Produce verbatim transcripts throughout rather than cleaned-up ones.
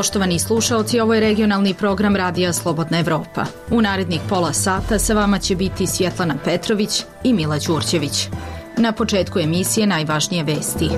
Poštovani slušaoci, ovo je regionalni program Radija Slobodna Evropa. U narednih pola sata sa vama će biti Svjetlana Petrović i Mila Đurđević. Na početku emisije najvažnije vesti.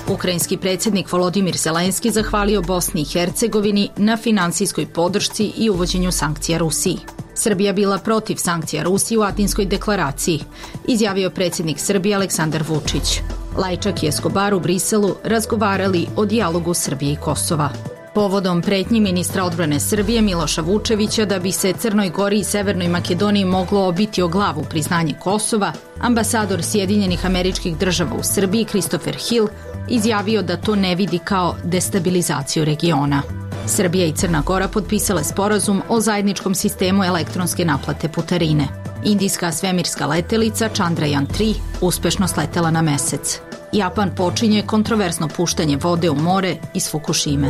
Ukrajinski predsjednik Volodimir Zelenski zahvalio Bosni i Hercegovini na finansijskoj podršci i uvođenju sankcija Rusiji. Srbija bila protiv sankcija Rusiji u Atinskoj deklaraciji, izjavio predsjednik Srbije Aleksandar Vučić. Lajčak i Escobar u Briselu razgovarali o dijalogu Srbije i Kosova. Povodom pretnji ministra odbrane Srbije Miloša Vučevića da bi se Crnoj Gori i Severnoj Makedoniji moglo obiti o glavu priznanje Kosova, ambasador Sjedinjenih Američkih Država u Srbiji Christopher Hill izjavio da to ne vidi kao destabilizaciju regiona. Srbija i Crna Gora potpisale sporazum o zajedničkom sistemu elektronske naplate putarine. Indijska svemirska letelica Chandrayaan tri uspešno sletela na mesec. Japan počinje kontroverzno puštanje vode u more iz Fukushime.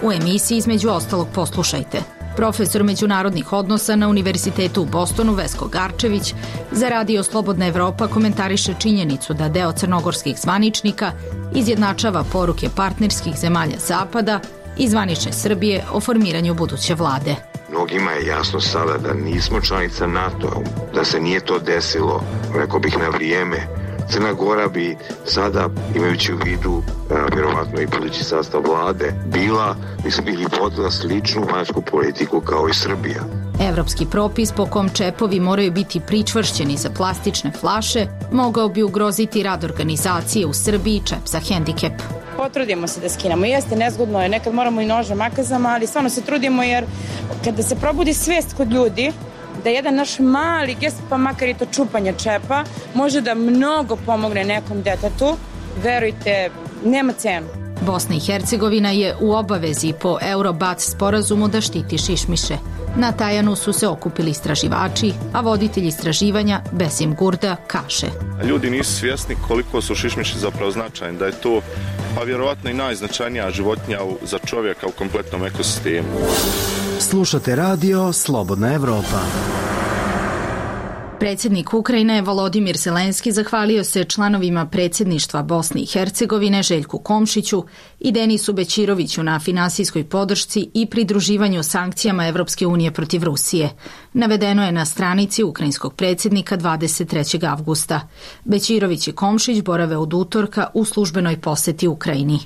U emisiji između ostalog poslušajte. Profesor međunarodnih odnosa na Univerzitetu u Bostonu Vesko Garčević za Radio Slobodna Evropa komentariše činjenicu da deo crnogorskih zvaničnika izjednačava poruke partnerskih zemalja Zapada i zvanične Srbije o formiranju buduće vlade. Mnogima je jasno sada da nismo članica NATO, da se nije to desilo, rekao bih, na vrijeme. Crna Gora bi sada, imajući u vidu a, vjerovatno i budući sastav vlade, bila, mislim, ili vodila sličnu vanjsku politiku kao i Srbija. Evropski propis po kom čepovi moraju biti pričvršćeni za plastične flaše mogao bi ugroziti rad organizacije u Srbiji Čep za hendikep. Potrudimo se da skinemo. Jeste, nezgodno je, nekad moramo i nožem, makazama, ali stvarno se trudimo jer kada se probudi svijest kod ljudi da jedan naš mali gest, pa makar i to čupanje čepa, može da mnogo pomogne nekom detetu, verujte, nema cenu. Bosna i Hercegovina je u obavezi po Eurobat sporazumu da štiti šišmiše. Na Tajanu su se okupili istraživači, a voditelj istraživanja Besim Gurda kaže: Ljudi nisu svjesni koliko su šišmiši zapravo značajni, da je to pa vjerovatno i najznačajnija životinja za čovjeka u kompletnom ekosistemu. Slušate radio Slobodna Evropa. Predsjednik Ukrajine Volodimir Zelenski zahvalio se članovima predsjedništva Bosne i Hercegovine Željku Komšiću i Denisu Bećiroviću na finansijskoj podršci i pridruživanju sankcijama Evropske unije protiv Rusije. Navedeno je na stranici ukrajinskog predsjednika dvadeset trećeg avgusta. Bećirović i Komšić borave od utorka u službenoj posjeti Ukrajini.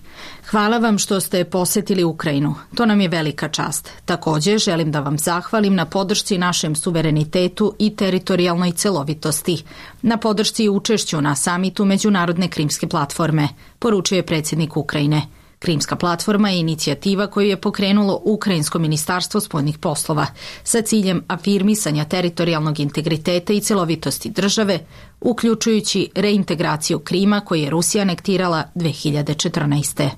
Hvala vam što ste posjetili Ukrajinu. To nam je velika čast. Također želim da vam zahvalim na podršci našem suverenitetu i teritorijalnoj celovitosti, na podršci i učešću na samitu Međunarodne krimske platforme, poručuje predsjednik Ukrajine. Krimska platforma je inicijativa koju je pokrenulo Ukrajinsko ministarstvo spoljnih poslova sa ciljem afirmisanja teritorijalnog integriteta i celovitosti države, uključujući reintegraciju Krima koji je Rusija anektirala dve hiljade četrnaeste.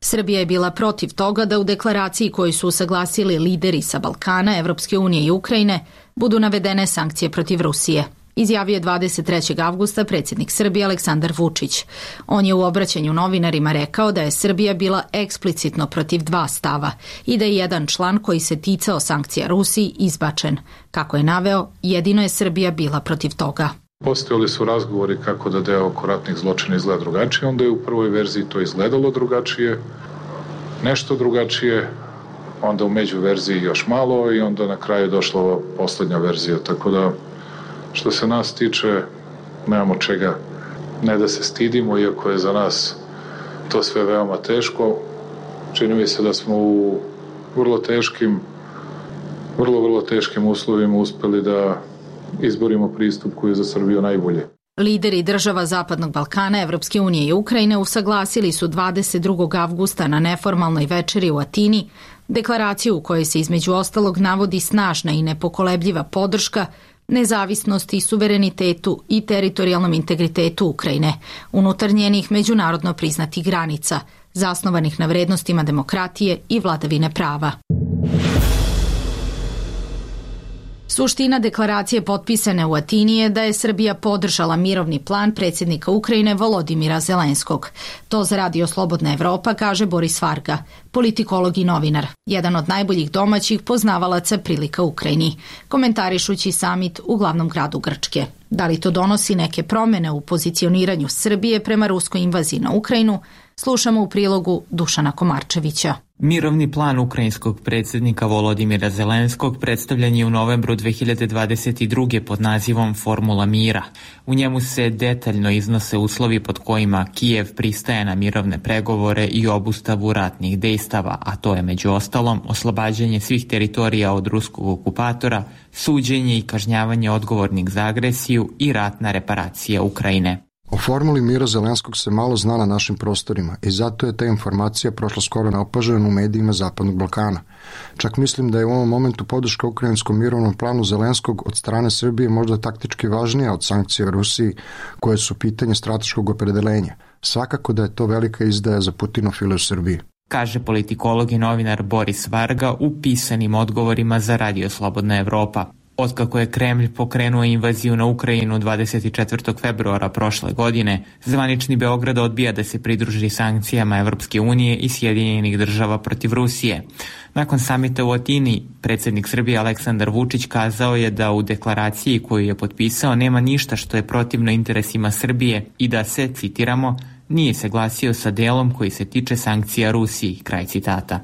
Srbija je bila protiv toga da u deklaraciji koju su usaglasili lideri sa Balkana, Evropske unije i Ukrajine budu navedene sankcije protiv Rusije, izjavio je dvadeset trećeg avgusta predsjednik Srbije Aleksandar Vučić. On je u obraćanju novinarima rekao da je Srbija bila eksplicitno protiv dva stava i da je jedan član koji se ticao sankcija Rusiji izbačen. Kako je naveo, jedino je Srbija bila protiv toga. Postojali su razgovori kako da deo oko ratnih zločina izgleda drugačije, onda je u prvoj verziji to izgledalo drugačije, nešto drugačije, onda u među verziji još malo i onda na kraju došla ova posljednja verzija, tako da što se nas tiče nemamo čega ne da se stidimo, iako je za nas to sve veoma teško. Čini mi se da smo u vrlo teškim, vrlo, vrlo teškim uslovima uspeli da izborimo pristup koji je za Srbiju najbolje. Lideri država Zapadnog Balkana, Evropske unije i Ukrajine usaglasili su dvadeset drugog avgusta na neformalnoj večeri u Atini deklaraciju u kojoj se između ostalog navodi snažna i nepokolebljiva podrška nezavisnosti, suverenitetu i teritorijalnom integritetu Ukrajine, unutar njenih međunarodno priznatih granica, zasnovanih na vrednostima demokratije i vladavine prava. Suština deklaracije potpisane u Atini je da je Srbija podržala mirovni plan predsjednika Ukrajine Volodimira Zelenskog. To za Radio Slobodna Evropa kaže Boris Varga, politikolog i novinar, jedan od najboljih domaćih poznavalaca prilika Ukrajini, komentarišući samit u glavnom gradu Grčke. Da li to donosi neke promjene u pozicioniranju Srbije prema ruskoj invaziji na Ukrajinu, slušamo u prilogu Dušana Komarčevića. Mirovni plan ukrajinskog predsjednika Volodimira Zelenskog predstavljen je u novembru dve hiljade dvadeset druge pod nazivom Formula mira. U njemu se detaljno iznose uslovi pod kojima Kijev pristaje na mirovne pregovore i obustavu ratnih dejstava, a to je među ostalom oslobađanje svih teritorija od ruskog okupatora, suđenje i kažnjavanje odgovornih za agresiju i ratna reparacija Ukrajine. O formuli mira Zelenskog se malo zna na našim prostorima i zato je ta informacija prošla skoro neopažena u medijima Zapadnog Balkana. Čak mislim da je u ovom momentu podrška ukrajinskom mirovnom planu Zelenskog od strane Srbije možda taktički važnija od sankcija Rusiji, koje su pitanje strateškog opredeljenja. Svakako da je to velika izdaja za putinofile u Srbiji, kaže politikolog i novinar Boris Varga u pisanim odgovorima za Radio Slobodna Evropa. Otkako je Kremlj pokrenuo invaziju na Ukrajinu dvadeset četvrtog februara prošle godine, zvanični Beograd odbija da se pridruži sankcijama Evropske unije i Sjedinjenih država protiv Rusije. Nakon samita u Atini, predsjednik Srbije Aleksandar Vučić kazao je da u deklaraciji koju je potpisao nema ništa što je protivno interesima Srbije i da se, citiramo, nije se glasio sa delom koji se tiče sankcija Rusiji, kraj citata.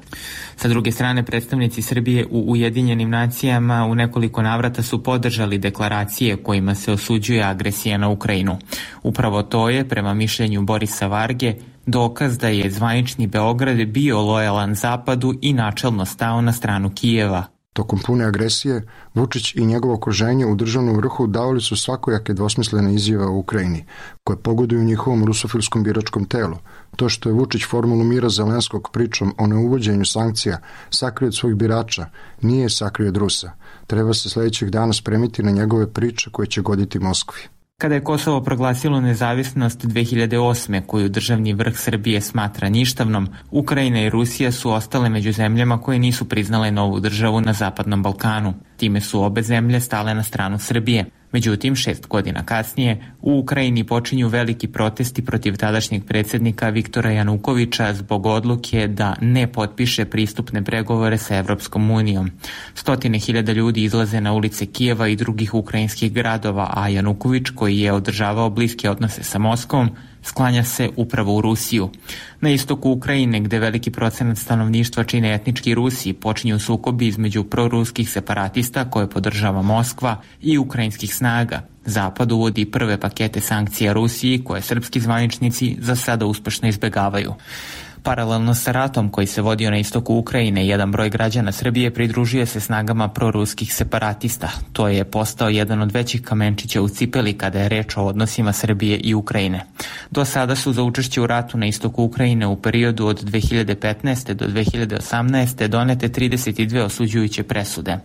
Sa druge strane, predstavnici Srbije u Ujedinjenim nacijama u nekoliko navrata su podržali deklaracije kojima se osuđuje agresija na Ukrajinu. Upravo to je, prema mišljenju Borisa Varge, dokaz da je zvanični Beograd bio lojalan Zapadu i načelno stao na stranu Kijeva. Tokom pune agresije, Vučić i njegovo okruženje u državnom vrhu davali su svakojake dvosmislene izjave o Ukrajini, koje pogoduju njihovom rusofilskom biračkom telu. To što je Vučić formulu mira Zelenskog pričom o neuvođenju sankcija sakrio od svojih birača, nije sakrio od Rusa. Treba se sljedećeg dana spremiti na njegove priče koje će goditi Moskvi. Kada je Kosovo proglasilo nezavisnost dve hiljade osme, koju državni vrh Srbije smatra ništavnom, Ukrajina i Rusija su ostale među zemljama koje nisu priznale novu državu na Zapadnom Balkanu. Time su obe zemlje stale na stranu Srbije. Međutim, šest godina kasnije, u Ukrajini počinju veliki protesti protiv tadašnjeg predsjednika Viktora Janukovića zbog odluke da ne potpiše pristupne pregovore sa Evropskom unijom. Stotine hiljada ljudi izlaze na ulice Kijeva i drugih ukrajinskih gradova, a Januković, koji je održavao bliske odnose sa Moskvom, sklanja se upravo u Rusiju. Na istoku Ukrajine, gde veliki procenat stanovništva čine etnički Rusi, počinju sukobi između proruskih separatista koje podržava Moskva i ukrajinskih snaga. Zapad uvodi prve pakete sankcija Rusiji koje srpski zvaničnici za sada uspešno izbegavaju. Paralelno sa ratom koji se vodio na istoku Ukrajine, jedan broj građana Srbije pridružuje se snagama proruskih separatista. To je postao jedan od većih kamenčića u cipeli kada je reč o odnosima Srbije i Ukrajine. Do sada su za učešće u ratu na istoku Ukrajine u periodu od dve hiljade petnaeste do dve hiljade osamnaeste donete trideset dve osuđujuće presude.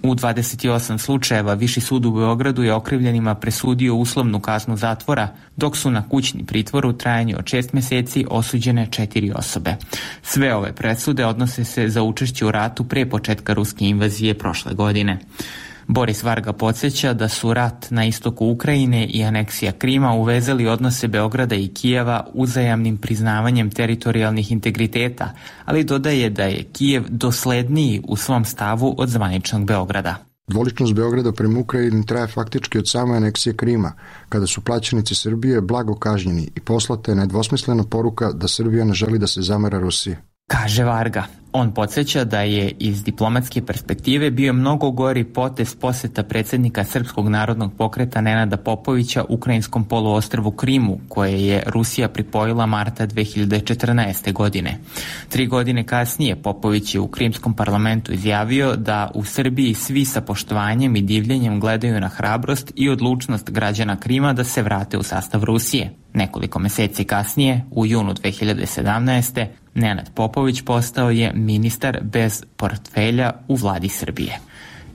U dvadeset osam slučajeva Viši sud u Beogradu je okrivljenima presudio uslovnu kaznu zatvora, dok su na kućni pritvor u trajanju od šest meseci osuđene četiri osobe. Sve ove presude odnose se za učešće u ratu pre početka ruske invazije prošle godine. Boris Varga podsjeća da su rat na istoku Ukrajine i aneksija Krima uvezali odnose Beograda i Kijeva uzajamnim priznavanjem teritorijalnih integriteta, ali dodaje da je Kijev dosledniji u svom stavu od zvaničnog Beograda. Dvoličnost Beograda prema Ukrajini traje faktički od same aneksije Krima, kada su plaćenici Srbije blago kažnjeni i poslata je nedvosmislena poruka da Srbija ne želi da se zamera Rusiji, kaže Varga. On podsjeća da je iz diplomatske perspektive bio mnogo gori potez poseta predsjednika Srpskog narodnog pokreta Nenada Popovića ukrajinskom poluostrvu Krimu, koje je Rusija pripojila marta dve hiljade četrnaeste. godine. Tri godine kasnije Popović je u krimskom parlamentu izjavio da u Srbiji svi sa poštovanjem i divljenjem gledaju na hrabrost i odlučnost građana Krima da se vrate u sastav Rusije. Nekoliko meseci kasnije, u junu dve hiljade sedamnaeste. Nenad Popović postao je ministar bez portfelja u vladi Srbije.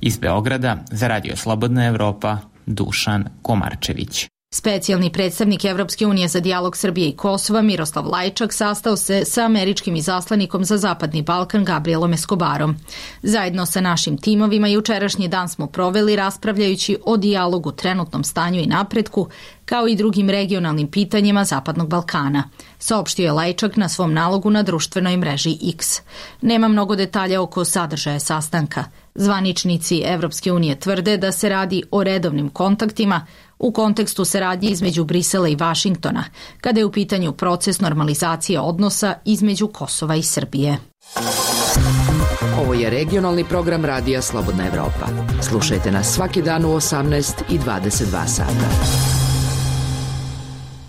Iz Beograda za Radio Slobodna Evropa, Dušan Komarčević. Specijalni predstavnik Evropske unije za dijalog Srbije i Kosova Miroslav Lajčak sastao se sa američkim izaslanikom za Zapadni Balkan Gabrielom Escobarom. Zajedno sa našim timovima jučerašnji dan smo proveli raspravljajući o dijalogu, trenutnom stanju i napretku, kao i drugim regionalnim pitanjima Zapadnog Balkana, saopštio je Lajčak na svom nalogu na društvenoj mreži X. Nema mnogo detalja oko sadržaja sastanka. Zvaničnici Evropske unije tvrde da se radi o redovnim kontaktima u kontekstu saradnje između Brisela i Vašingtona, kada je u pitanju proces normalizacije odnosa između Kosova i Srbije. Ovo je regionalni program Radija Slobodna Evropa. Slušajte nas svaki dan u osamnaest i dvadeset dva sata.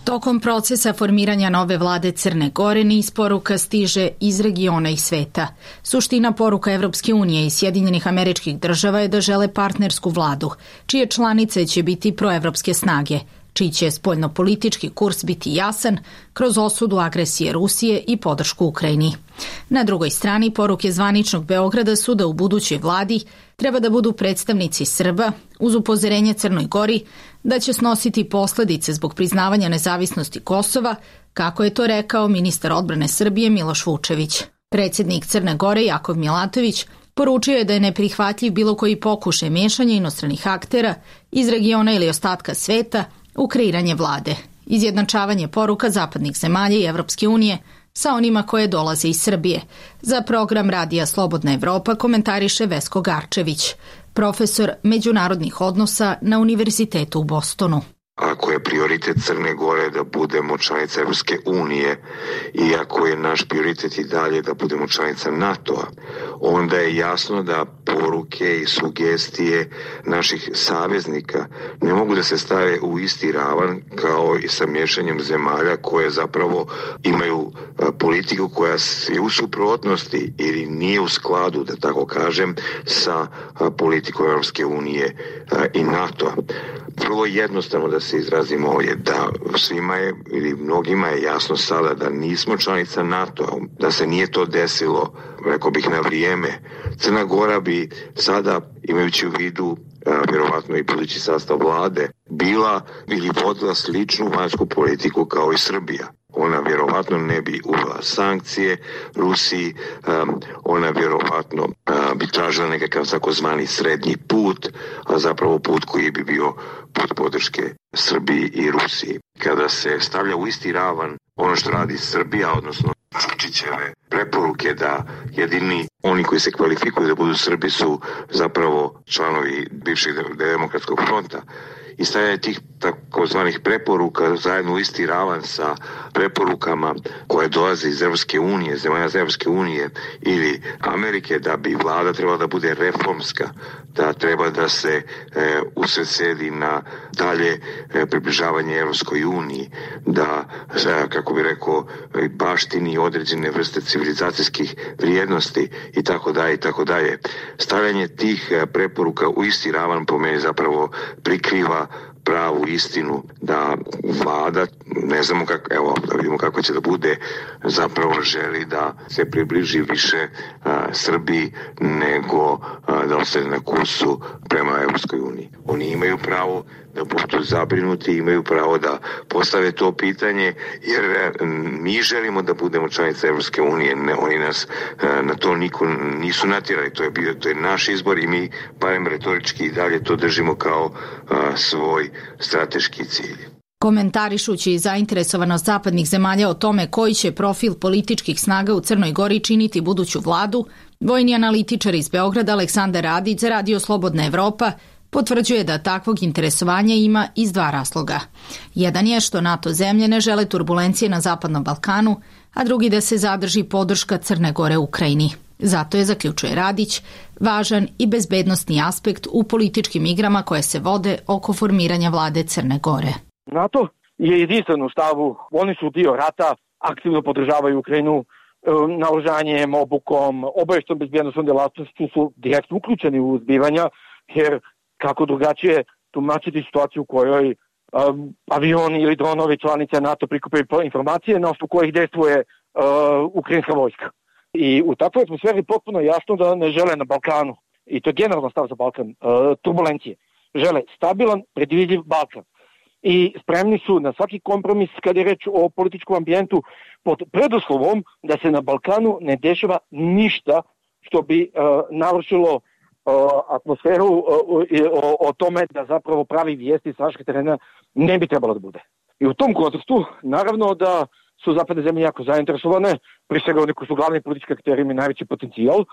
Tokom procesa formiranja nove vlade Crne Gore niz poruka stiže iz regiona i sveta. Suština poruka Evropske unije i Sjedinjenih Američkih Država je da žele partnersku vladu, čije članice će biti proevropske snage, čiji će spoljnopolitički kurs biti jasan kroz osudu agresije Rusije i podršku Ukrajini. Na drugoj strani poruke zvaničnog Beograda su da u budućoj vladi treba da budu predstavnici Srba, uz upozorenje Crnoj Gori da će snositi posledice zbog priznavanja nezavisnosti Kosova, kako je to rekao ministar odbrane Srbije Miloš Vučević. Predsjednik Crne Gore Jakov Milatović poručio je da je neprihvatljiv bilo koji pokušaj miješanja inostranih aktera iz regiona ili ostatka sveta u kreiranje vlade, izjednačavanje poruka zapadnih zemalja i Evropske unije sa onima koje dolaze iz Srbije. Za program Radija Slobodna Evropa komentariše Vesko Garčević, profesor međunarodnih odnosa na Univerzitetu u Bostonu. Ako je prioritet Crne Gore da budemo članica Evropske unije i ako je naš prioritet i dalje da budemo članica NATO-a, onda je jasno da poruke i sugestije naših saveznika ne mogu da se stave u isti ravan kao i sa miješanjem zemalja koje zapravo imaju politiku koja je u suprotnosti ili nije u skladu, da tako kažem, sa politikom Evropske unije i NATO-a. Vrlo jednostavno da se izrazimo ovdje, da svima je ili mnogima je jasno sada da nismo članica NATO-a, da se nije to desilo, rekao bih, na vrijeme. Crna Gora bi sada, imajući u vidu vjerovatno i budući sastav vlade, bila ili vodila sličnu vanjsku politiku kao i Srbija. Ona vjerovatno ne bi uvela sankcije Rusiji, um, ona vjerovatno uh, bi tražila nekakav takozvani srednji put, a zapravo put koji bi bio put podrške Srbiji i Rusiji. Kada se stavlja u isti ravan ono što radi Srbija, odnosno Vučićeve preporuke da jedini oni koji se kvalifikuju da budu Srbi su zapravo članovi bivšeg demokratskog fronta, i stavljanje tih takozvanih preporuka zajedno u isti ravan sa preporukama koje dolaze iz Evropske unije, zemalja iz Evropske unije ili Amerike, da bi vlada trebala da bude reformska, da treba da se e, usredsredi na dalje e, približavanje Evropskoj uniji, da, e, kako bi rekao, baštini određene vrste civilizacijskih vrijednosti i tako dalje i tako dalje. Stavljanje tih e, preporuka u isti ravan po meni zapravo prikriva pravu istinu da vlada, ne znamo kako, evo da vidimo kako će da bude, zapravo želi da se približi više a, Srbiji nego a, da ostane na kursu prema Evropskoj uniji. Oni imaju pravo da budu zabrinuti, imaju pravo da postave to pitanje, jer mi želimo da budemo članica Evropske unije, ne, oni nas a, na to niko nisu natjerali, to je bio, to je naš izbor i mi barem retorički i dalje to držimo kao a, svoj strateški cilj. Komentarišući zainteresovanost zapadnih zemalja o tome koji će profil političkih snaga u Crnoj Gori činiti buduću vladu, vojni analitičar iz Beograda Aleksandar Radić za Radio Slobodna Evropa potvrđuje da takvog interesovanja ima iz dva razloga. Jedan je što NATO zemlje ne žele turbulencije na Zapadnom Balkanu, a drugi da se zadrži podrška Crne Gore Ukrajini. Zato je, zaključuje Radić, važan i bezbednostni aspekt u političkim igrama koje se vode oko formiranja vlade Crne Gore. NATO je jedinstven u stavu, oni su dio rata, aktivno podržavaju Ukrajinu naoružanjem, obukom, obavještajnom bezbednosnom djelatnošću su direktno uključeni u zbivanja, jer kako drugačije tumačiti situaciju u kojoj um, avioni ili dronovi članice NATO prikupaju informacije na osnovu kojih dejstvuje uh, ukrajinska vojska. I u takvoj atmosferi potpuno jasno da ne žele na Balkanu, i to je generalno stav za Balkan, uh, turbulencije. Žele stabilan, predvidljiv Balkan. i spremni su na svaki kompromis kada je reč o političkom ambijentu pod preduslovom da se na Balkanu ne dešava ništa što bi uh, narušilo uh, atmosferu uh, o, o tome da zapravo pravi vijesti s našeg terena ne bi trebalo da bude. I u tom kontekstu, naravno da su zapadne zemlje jako zainteresovane, pri svega oni koji su glavni politički akteri imaju najveći potencijal, uh,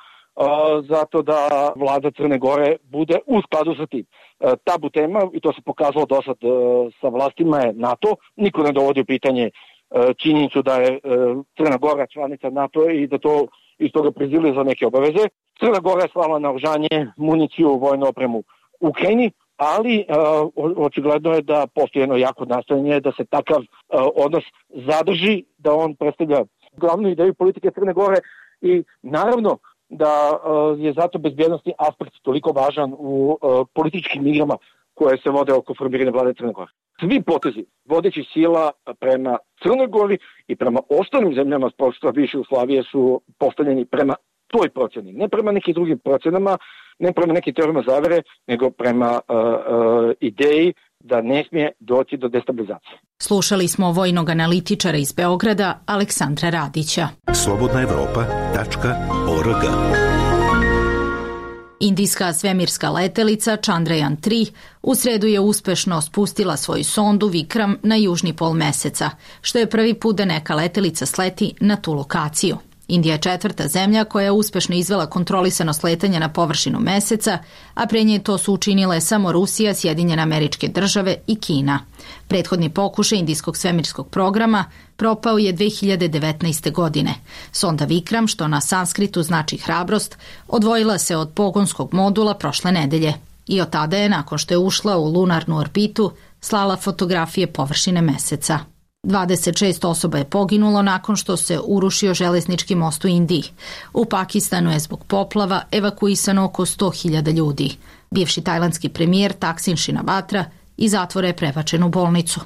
zato da vlada Crne Gore bude u skladu sa tim. Uh, tabu tema, i to se pokazalo do sad uh, sa vlastima, je NATO. Niko ne dovodi u pitanje uh, činjenicu da je uh, Crna Gora članica NATO i da to iz toga prizili za neke obaveze. Crna Gora je slala naoružanje, municiju, vojnu opremu u Ukrajini, ali uh, očigledno je da postoji jedno jako nastojanje da se takav uh, odnos zadrži, da on predstavlja glavnu ideju politike Crne Gore i naravno da uh, je zato bezbjednostni aspekt toliko važan u uh, političkim igrama koje se vode oko formiranja vlade Crne Gore. Svi potezi vodećih sila prema Crnoj Gori i prema ostalim zemljama s prostora bivše Jugoslavije su postavljeni prema toj procjeni, ne prema nekim drugim procenama, ne prema nekim teorijama zavere, nego prema uh, uh, ideji da ne smije doći do destabilizacije. Slušali smo vojnog analitičara iz Beograda, Aleksandra Radića. slobodna evropa tačka org. Indijska svemirska letelica Chandrayaan tri u sredu je uspešno spustila svoju sondu Vikram na južni pol meseca, što je prvi put da neka letelica sleti na tu lokaciju. Indija je četvrta zemlja koja je uspešno izvela kontrolisano sletanje na površinu meseca, a pre nje to su učinile samo Rusija, Sjedinjene Američke Države i Kina. Prethodni pokušaj indijskog svemirskog programa propao je dve hiljade devetnaeste. godine. Sonda Vikram, što na sanskritu znači hrabrost, odvojila se od pogonskog modula prošle nedelje i od tada je, nakon što je ušla u lunarnu orbitu, slala fotografije površine meseca. dvadeset šest osoba je poginulo nakon što se urušio železnički most u Indiji. U Pakistanu je zbog poplava evakuisano oko sto hiljada ljudi. Bivši tajlandski premijer Thaksin Shinawatra iz zatvora je prebačen u bolnicu.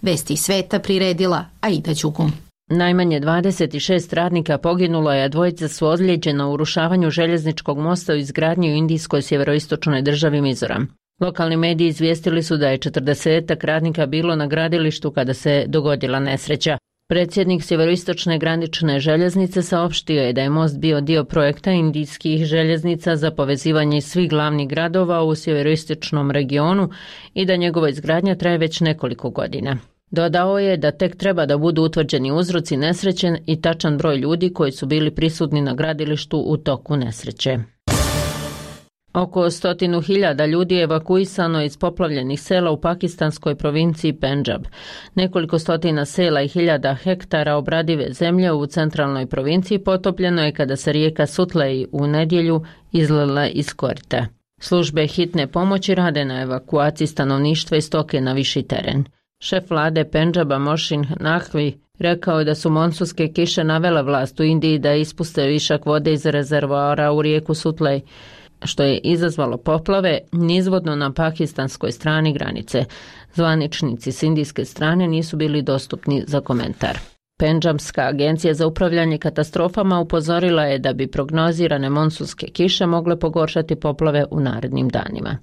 Vesti iz sveta priredila Aida Đugum. Najmanje dvadeset šest radnika poginulo je, a dvojica su ozlijeđena u urušavanju željezničkog mosta u izgradnji u indijskoj sjeveroistočnoj državi Mizoram. Lokalni mediji izvijestili su da je četrdesetak radnika bilo na gradilištu kada se dogodila nesreća. Predsjednik sjeveroistočne granične željeznice saopštio je da je most bio dio projekta indijskih željeznica za povezivanje svih glavnih gradova u sjeveroistočnom regionu i da njegova izgradnja traje već nekoliko godina. Dodao je da tek treba da budu utvrđeni uzroci nesreće i tačan broj ljudi koji su bili prisutni na gradilištu u toku nesreće. Oko stotinu hiljada ljudi je evakuisano iz poplavljenih sela u pakistanskoj provinciji Pendžab. Nekoliko stotina sela i hiljada hektara obradive zemlje u centralnoj provinciji potopljeno je kada se rijeka Sutlej u nedjelju izlila iz korita. Službe hitne pomoći rade na evakuaciji stanovništva i stoke na viši teren. Šef vlade Pendžaba Mohsin Naqvi rekao je da su monsunske kiše navele vlast u Indiji da ispuste višak vode iz rezervoara u rijeku Sutlej, što je izazvalo poplave nizvodno na pakistanskoj strani granice. Zvaničnici s indijske strane nisu bili dostupni za komentar. Pendžabska agencija za upravljanje katastrofama upozorila je da bi prognozirane monsunske kiše mogle pogoršati poplave u narednim danima.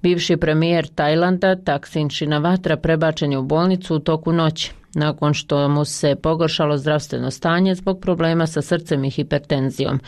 Bivši premijer Tajlanda Thaksin Shinawatra prebačen je u bolnicu u toku noći, nakon što mu se pogoršalo zdravstveno stanje zbog problema sa srcem i hipertenzijom,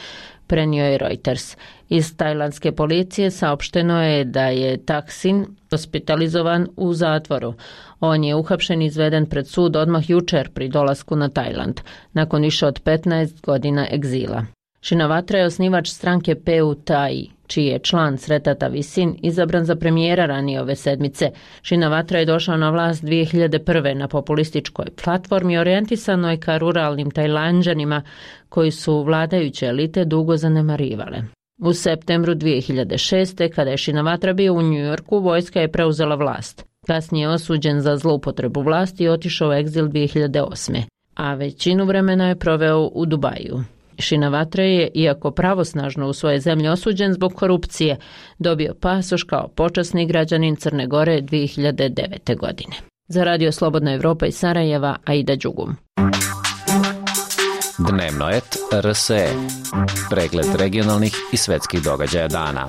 prenio je Reuters. Iz tajlandske policije saopšteno je da je Thaksin hospitalizovan u zatvoru. On je uhapšen i izveden pred sud odmah jučer pri dolasku na Tajland, nakon više od petnaest godina egzila. Shinawatra je osnivač stranke P U Thai, čiji je član Sretata Visin izabran za premijera ranije ove sedmice. Shinawatra je došao na vlast dvije hiljade prve na populističkoj platformi orijentisanoj ka ruralnim Tajlanđanima koji su vladajuće elite dugo zanemarivale. U septembru dvije hiljade šeste. kada je Shinawatra bio u Njujorku, vojska je preuzela vlast. Kasnije je osuđen za zloupotrebu vlasti i otišao u egzil dvije hiljade osme. a većinu vremena je proveo u Dubaju. Shinawatra je, iako pravosnažno u svoje zemlje osuđen zbog korupcije, dobio pasoš kao počasni građanin Crne Gore dvije hiljade devete. godine. Za Radio Slobodna Evropa iz Sarajeva, Aida Đugum. Dnevno et R S E. Pregled regionalnih i svetskih događaja dana.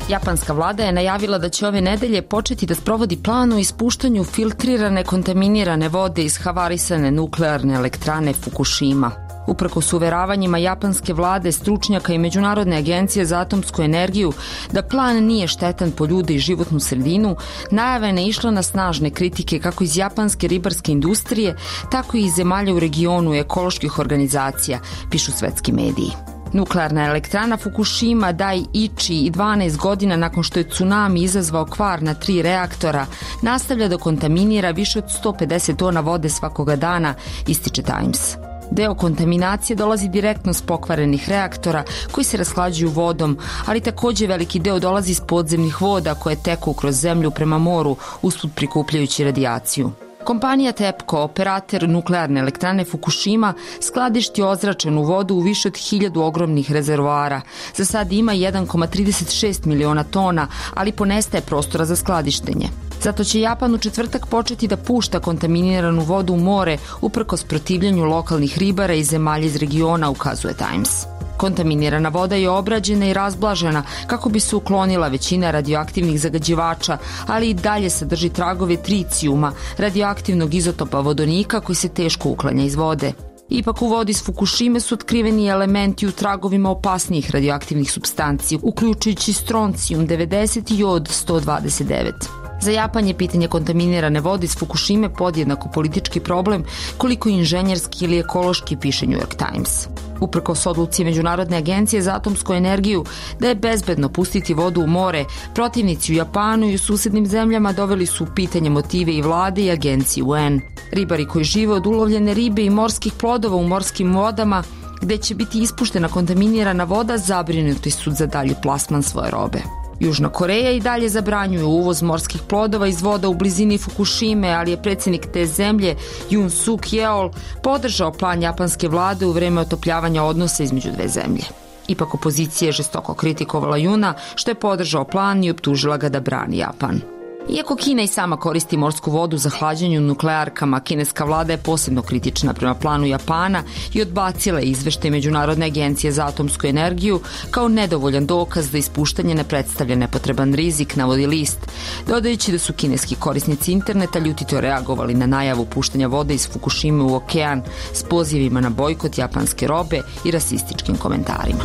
Japanska vlada je najavila da će ove nedelje početi da sprovodi plan o ispuštanju filtrirane kontaminirane vode iz havarisane nuklearne elektrane Fukushima. Uprkos uveravanjima japanske vlade, stručnjaka i Međunarodne agencije za atomsku energiju da plan nije štetan po ljude i životnu sredinu, najava je išla na snažne kritike kako iz japanske ribarske industrije, tako i iz zemalja u regionu i ekoloških organizacija, pišu svetski mediji. Nuklearna elektrana Fukushima Daiichi i dvanaest godina nakon što je tsunami izazvao kvar na tri reaktora, nastavlja da kontaminira više od sto pedeset tona vode svakoga dana, ističe Times. Deo kontaminacije dolazi direktno s pokvarenih reaktora koji se rashlađuju vodom, ali također veliki deo dolazi iz podzemnih voda koje teku kroz zemlju prema moru, usput prikupljajući radijaciju. Kompanija TEPCO, operator nuklearne elektrane Fukushima, skladišti ozračenu vodu u više od hiljadu ogromnih rezervoara. Za sad ima jedan zarez trideset šest miliona tona, ali ponestaje prostora za skladištenje. Zato će Japan u četvrtak početi da pušta kontaminiranu vodu u more uprkos protivljenju lokalnih ribara i zemalja iz regiona, ukazuje Times. Kontaminirana voda je obrađena i razblažena kako bi se uklonila većina radioaktivnih zagađivača, ali i dalje sadrži tragove tricijuma, radioaktivnog izotopa vodonika koji se teško uklanja iz vode. Ipak u vodi s Fukushime su otkriveni elementi u tragovima opasnijih radioaktivnih supstanci, uključujući stroncijum devedeset i jod sto dvadeset devet. Za Japan je pitanje kontaminirane vode iz Fukushime podjednako politički problem koliko inženjerski ili ekološki, piše New York Times. Uprkos odluci Međunarodne agencije za atomsku energiju da je bezbedno pustiti vodu u more, protivnici u Japanu i u susednim zemljama doveli su u pitanje motive i vlade i agencije U N. Ribari koji žive od ulovljene ribe i morskih plodova u morskim vodama, gde će biti ispuštena kontaminirana voda, zabrinuti su za dalji plasman svoje robe. Južna Koreja i dalje zabranjuje uvoz morskih plodova iz voda u blizini Fukushime, ali je predsjednik te zemlje, Yoon Suk Yeol, podržao plan japanske vlade u vreme otopljavanja odnosa između dve zemlje. Ipak opozicija je žestoko kritikovala Juna, što je podržao plan i optužila ga da brani Japan. Iako Kina i sama koristi morsku vodu za hlađenje u nuklearkama, kineska vlada je posebno kritična prema planu Japana i odbacila je izveštaj Međunarodne agencije za atomsku energiju kao nedovoljan dokaz da ispuštanje ne predstavlja nepotreban rizik, navodi list, dodajući da su kineski korisnici interneta ljutito reagovali na najavu puštanja vode iz Fukushime u okean s pozivima na bojkot japanske robe i rasističkim komentarima.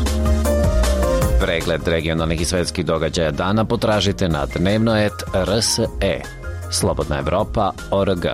Pregled regionalnih i svetskih događaja dana potražite na dnevnoet R S E. Slobodna Evropa O R G.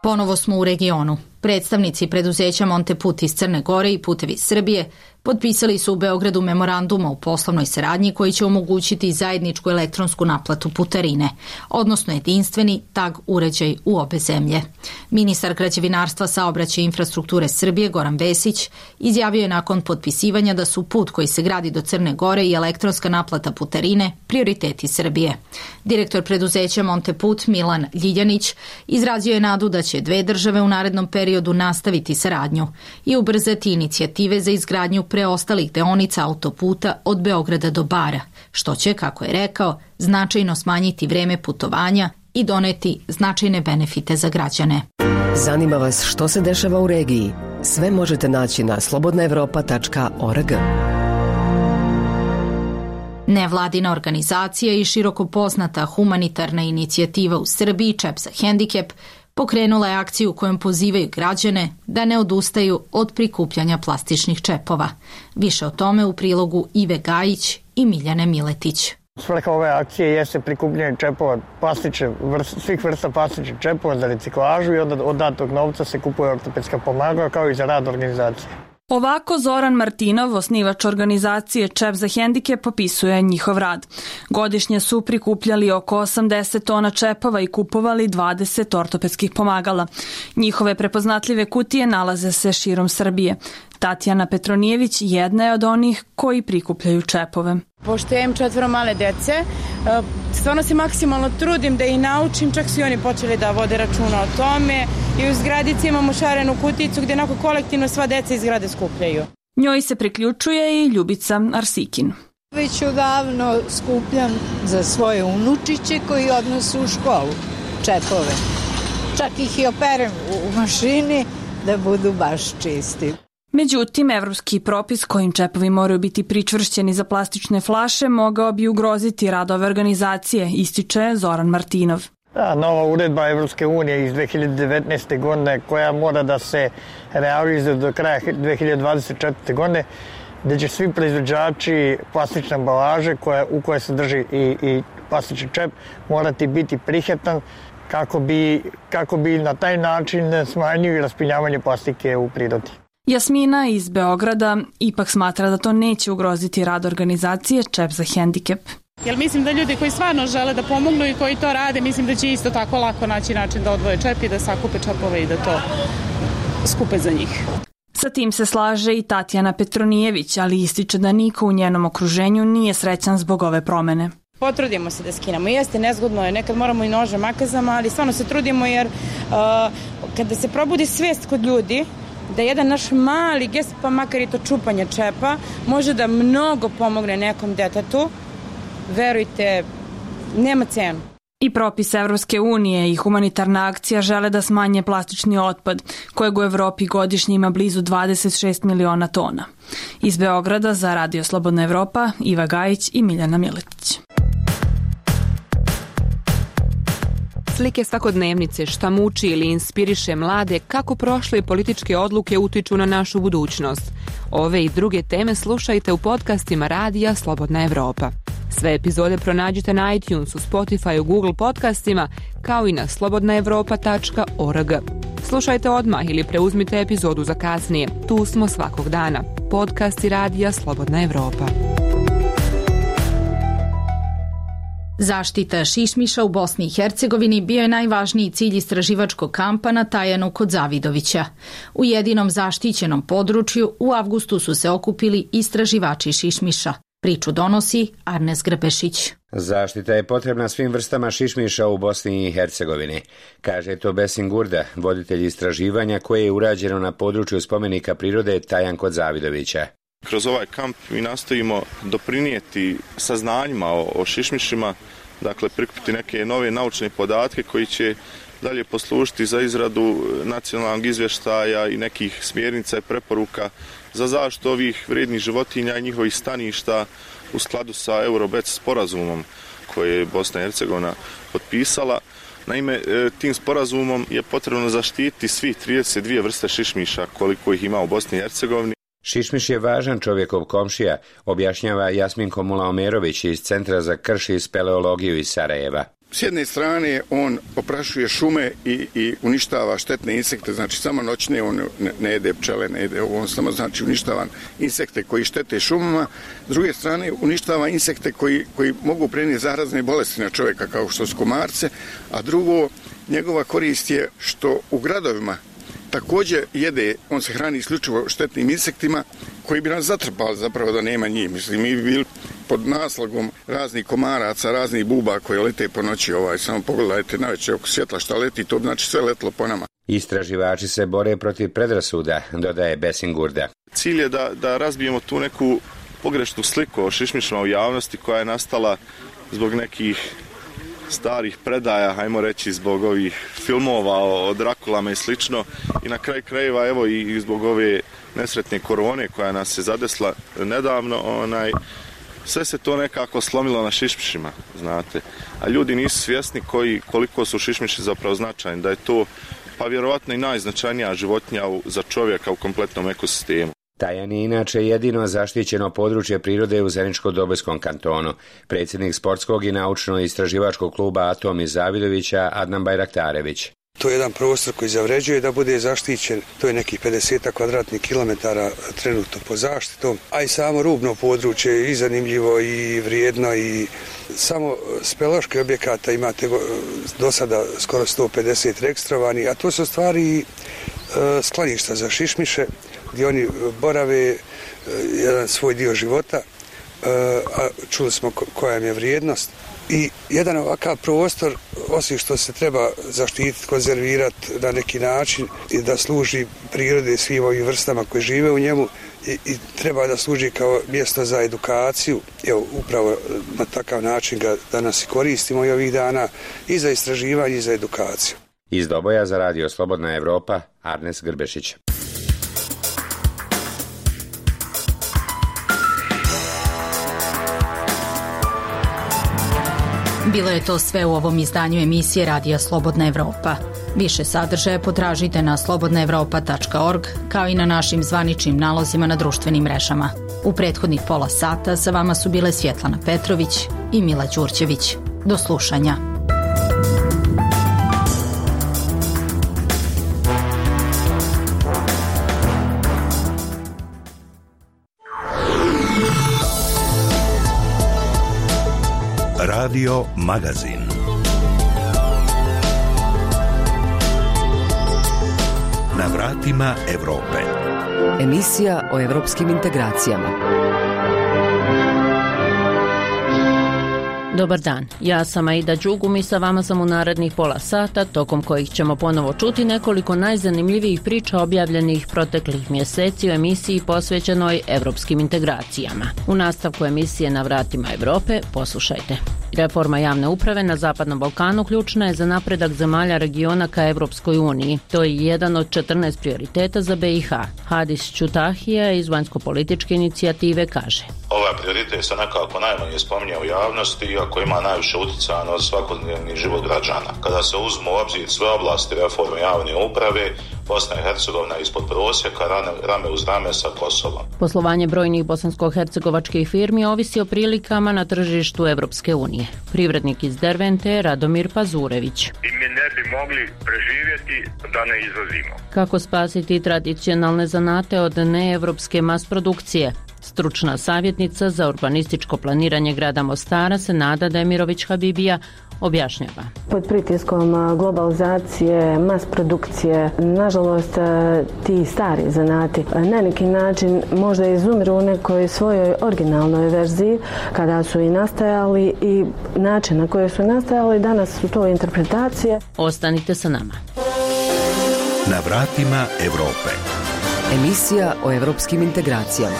Ponovo smo u regionu. Predstavnici preduzeća Monteput iz Crne Gore i Putevi Srbije potpisali su u Beogradu memoranduma u poslovnoj saradnji koji će omogućiti zajedničku elektronsku naplatu putarine, odnosno jedinstveni tag uređaj u obe zemlje. Ministar građevinarstva, saobraćaja i infrastrukture Srbije Goran Vesić izjavio je nakon potpisivanja da su put koji se gradi do Crne Gore i elektronska naplata putarine prioriteti Srbije. Direktor preduzeća Monteput Milan Ljiljanić izrazio je nadu da će dve države u narednom periodu nastaviti saradnju i ubrzati inicijative za izgradnju preostalih deonica autoputa od Beograda do Bara, što će, kako je rekao, značajno smanjiti vreme putovanja i doneti značajne benefite za građane. Zanima vas što se dešava u regiji? Sve možete naći na slobodna evropa tačka org. Nevladina organizacija i široko poznata humanitarna inicijativa u Srbiji Čep za hendikep pokrenula je akciju kojom pozivaju građane da ne odustaju od prikupljanja plastičnih čepova. Više o tome u prilogu Ive Gajić i Miljane Miletić. Svrha ove akcije jeste prikupljanje čepova, plastične, vrst, svih vrsta plastičnih čepova za reciklažu i onda od datog novca se kupuje ortopedska pomagala kao i za rad organizacije. Ovako Zoran Martinov, osnivač organizacije Čep za hendikep, popisuje njihov rad. Godišnje su prikupljali oko osamdeset tona čepova i kupovali dvadeset ortopedskih pomagala. Njihove prepoznatljive kutije nalaze se širom Srbije. Tatjana Petronijević jedna je od onih koji prikupljaju čepove. Pošto ja imam četvoro male dece, stvarno se maksimalno trudim da ih naučim, čak su i oni počeli da vode računa o tome i u zgradici imamo šarenu kuticu gdje onako kolektivno sva deca iz zgrade skupljaju. Njoj se priključuje i Ljubica Arsikin. Već odavno skupljam za svoje unučiće koji odnosu u školu čepove. Čak ih i operem u mašini da budu baš čisti. Međutim, evropski propis kojim čepovi moraju biti pričvršćeni za plastične flaše mogao bi ugroziti rad ove organizacije, ističe Zoran Martinov. Da, nova uredba Evropske unije iz dve hiljade devetnaeste. godine koja mora da se realizuje do kraja dve hiljade dvadeset četvrte. godine, gde će svi proizvođači plastične ambalaže koja, u kojoj se drži i, i plastični čep morati biti prihvatan kako bi, kako bi na taj način smanjili raspinjavanje plastike u prirodi. Jasmina iz Beograda ipak smatra da to neće ugroziti rad organizacije Čep za hendikep. Jer mislim da ljudi koji stvarno žele da pomognu i koji to rade, mislim da će isto tako lako naći način da odvoje čep i da sakupe čepove i da to skupe za njih. Sa tim se slaže i Tatjana Petronijević, ali ističe da niko u njenom okruženju nije srećan zbog ove promene. Potrudimo se da skinemo. Jeste, nezgodno je, nekad moramo i nožem makazama, ali stvarno se trudimo jer uh, kada se probudi svijest kod ljudi da jedan naš mali gest, pa makar i to čupanje čepa, može da mnogo pomogne nekom detetu, verujte, nema cenu. I propis Evropske unije i humanitarna akcija žele da smanje plastični otpad, kojeg u Evropi godišnje ima blizu dvadeset šest miliona tona. Iz Beograda za Radio Slobodna Evropa, Iva Gajić i Miljana Miletić. Slike svakodnevnice, šta muči ili inspiriše mlade, kako prošle političke odluke utiču na našu budućnost. Ove i druge teme slušajte u podcastima Radija Slobodna Evropa. Sve epizode pronađite na iTunesu, Spotify, Google podcastima, kao i na slobodna evropa tačka org. Slušajte odmah ili preuzmite epizodu za kasnije. Tu smo svakog dana. Podcasti Radija Slobodna Evropa. Zaštita šišmiša u Bosni i Hercegovini bio je najvažniji cilj istraživačkog kampa na Tajanu kod Zavidovića. U jedinom zaštićenom području u avgustu su se okupili istraživači šišmiša. Priču donosi Arnes Grbešić. Zaštita je potrebna svim vrstama šišmiša u Bosni i Hercegovini, kaže to Besim Gurda, voditelj istraživanja koje je urađeno na području spomenika prirode Tajan kod Zavidovića. Kroz ovaj kamp mi nastojimo doprinijeti saznanjima o, o šišmišima, dakle prikupiti neke nove naučne podatke koji će dalje poslužiti za izradu nacionalnog izvještaja i nekih smjernica i preporuka za zaštitu ovih vrijednih životinja i njihovih staništa u skladu sa Eurobec sporazumom koje je Bosna i Hercegovina potpisala. Naime, tim sporazumom je potrebno zaštititi svih trideset dvije vrste šišmiša koliko ih ima u Bosni i Hercegovini. Šišmiš je važan čovjekov komšija, objašnjava Jasminko Mulaomerović iz Centra za krš i speleologiju iz Sarajeva. S jedne strane on oprašuje šume i, i uništava štetne insekte, znači samo noćne on ne, ne jede pčele, ne jede, on samo znači uništava insekte koji štete šumama. S druge strane uništava insekte koji, koji mogu prenijeti zarazne bolesti na čovjeka kao što su komarce, a drugo njegova korist je što u gradovima također jede, on se hrani isključivo štetnim insektima koji bi nas zatrpali zapravo da nema njih. Mislim, mi bi bili pod naslagom raznih komaraca, raznih buba koje lete po noći. Ovaj, samo pogledajte navečer oko svjetla šta leti, to znači sve letlo po nama. Istraživači se bore protiv predrasuda, dodaje Besim Gurda. Cilj je da, da razbijemo tu neku pogrešnu sliku o šišmišima u javnosti koja je nastala zbog nekih starih predaja, hajmo reći zbog ovih filmova o Drakulama i slično, i na kraj krajeva evo i zbog ove nesretne korone koja nas je zadesla nedavno, onaj, sve se to nekako slomilo na šišmišima, znate, a ljudi nisu svjesni koji, koliko su šišmiši zapravo značajni, da je to pa vjerovatno i najznačajnija životinja za čovjeka u kompletnom ekosistemu. Tajan je inače jedino zaštićeno područje prirode u Zeničko-Dobojskom kantonu. Predsjednik sportskog i naučno-istraživačkog kluba Atom iz Zavidovića Adnan Bajraktarević. To je jedan prostor koji zavređuje da bude zaštićen, to je nekih pedeset kvadratnih kilometara trenutno po zaštitom, a i samo rubno područje je i zanimljivo i vrijedno i samo speleoloških objekata imate do sada skoro sto pedeset registrovani, a to su stvari e, skloništa za šišmiše gdje oni borave jedan svoj dio života, a čuli smo koja im je vrijednost. I jedan ovakav prostor, osim što se treba zaštititi, konzervirati na neki način i da služi prirode svim ovim vrstama koje žive u njemu, i, i treba da služi kao mjesto za edukaciju. Evo, upravo na takav način ga danas i koristimo i ovih dana i za istraživanje i za edukaciju. Iz Doboja za Radio Slobodna Evropa, Arnes Grbešić. Bilo je to sve u ovom izdanju emisije Radija Slobodna Evropa. Više sadržaja potražite na slobodna evropa tačka org kao i na našim zvaničnim nalozima na društvenim mrežama. U prethodnih pola sata sa vama su bile Svjetlana Petrović i Mila Đurđević. Do slušanja. Radio Magazin. Na vratima Evrope. Emisija o evropskim integracijama. Dobar dan, ja sam Aida Đugum i sa vama sam u narednih pola sata, tokom kojih ćemo ponovo čuti nekoliko najzanimljivijih priča objavljenih proteklih mjeseci u emisiji posvećenoj evropskim integracijama. U nastavku emisije Na vratima Evrope poslušajte. Reforma javne uprave na Zapadnom Balkanu ključna je za napredak zemalja regiona ka Evropskoj uniji. To je jedan od četrnaest prioriteta za B i H. Hadis Ćutahija iz vanjsko-političke inicijative kaže: Ovaj prioritet se nekako najmanje spominje u javnosti, iako ima najviše utjecaja na svakodnevni život građana. Kada se uzmu u obzir sve oblasti reforme javne uprave, Bosna i Hercegovina ispod prosjeka, rame uz rame sa Kosovom. Poslovanje brojnih bosansko-hercegovačkih firmi ovisi o prilikama na tržištu Evropske unije. Privrednik iz Dervente, Radomir Pazurević. I mi ne bi mogli preživjeti da ne izvozimo. Kako spasiti tradicionalne zanate od neevropske mas produkcije? Stručna savjetnica za urbanističko planiranje grada Mostara Senada Demirović Habibija objašnjava. Pod pritiskom globalizacije, mas produkcije, nažalost ti stari zanati na neki način možda izumiru u nekoj svojoj originalnoj verziji kada su i nastajali i način na koji su nastajali, danas su to interpretacije. Ostanite sa nama. Na vratima Evrope. Emisija o evropskim integracijama.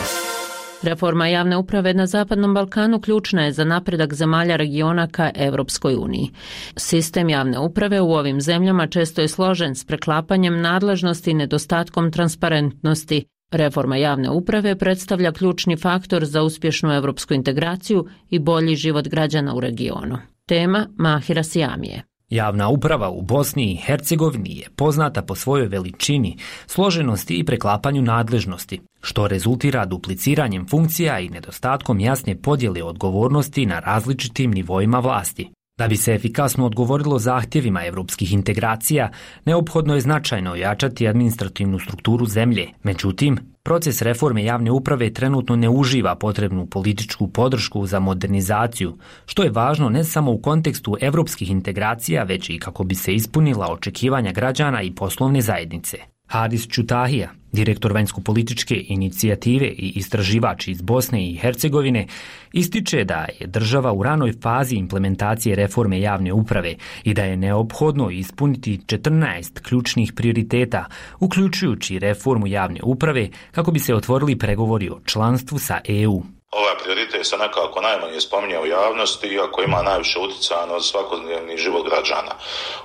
Reforma javne uprave na Zapadnom Balkanu ključna je za napredak zemalja regiona ka Evropskoj uniji. Sistem javne uprave u ovim zemljama često je složen s preklapanjem nadležnosti i nedostatkom transparentnosti. Reforma javne uprave predstavlja ključni faktor za uspješnu evropsku integraciju i bolji život građana u regionu. Tema Mahira Sijamije. Javna uprava u Bosni i Hercegovini je poznata po svojoj veličini, složenosti i preklapanju nadležnosti, što rezultira dupliciranjem funkcija i nedostatkom jasne podjele odgovornosti na različitim nivoima vlasti. Da bi se efikasno odgovorilo zahtjevima evropskih integracija, neophodno je značajno ojačati administrativnu strukturu zemlje. Međutim, proces reforme javne uprave trenutno ne uživa potrebnu političku podršku za modernizaciju, što je važno ne samo u kontekstu evropskih integracija, već i kako bi se ispunila očekivanja građana i poslovne zajednice. Hadis Ćutahija, direktor vanjsko-političke inicijative i istraživač iz Bosne i Hercegovine, ističe da je država u ranoj fazi implementacije reforme javne uprave i da je neophodno ispuniti četrnaest ključnih prioriteta, uključujući reformu javne uprave, kako bi se otvorili pregovori o članstvu sa E U. Ovaj prioritet se nekako najmanje spominje u javnosti, iako ima najviše utjecaja na svakodnevni život građana.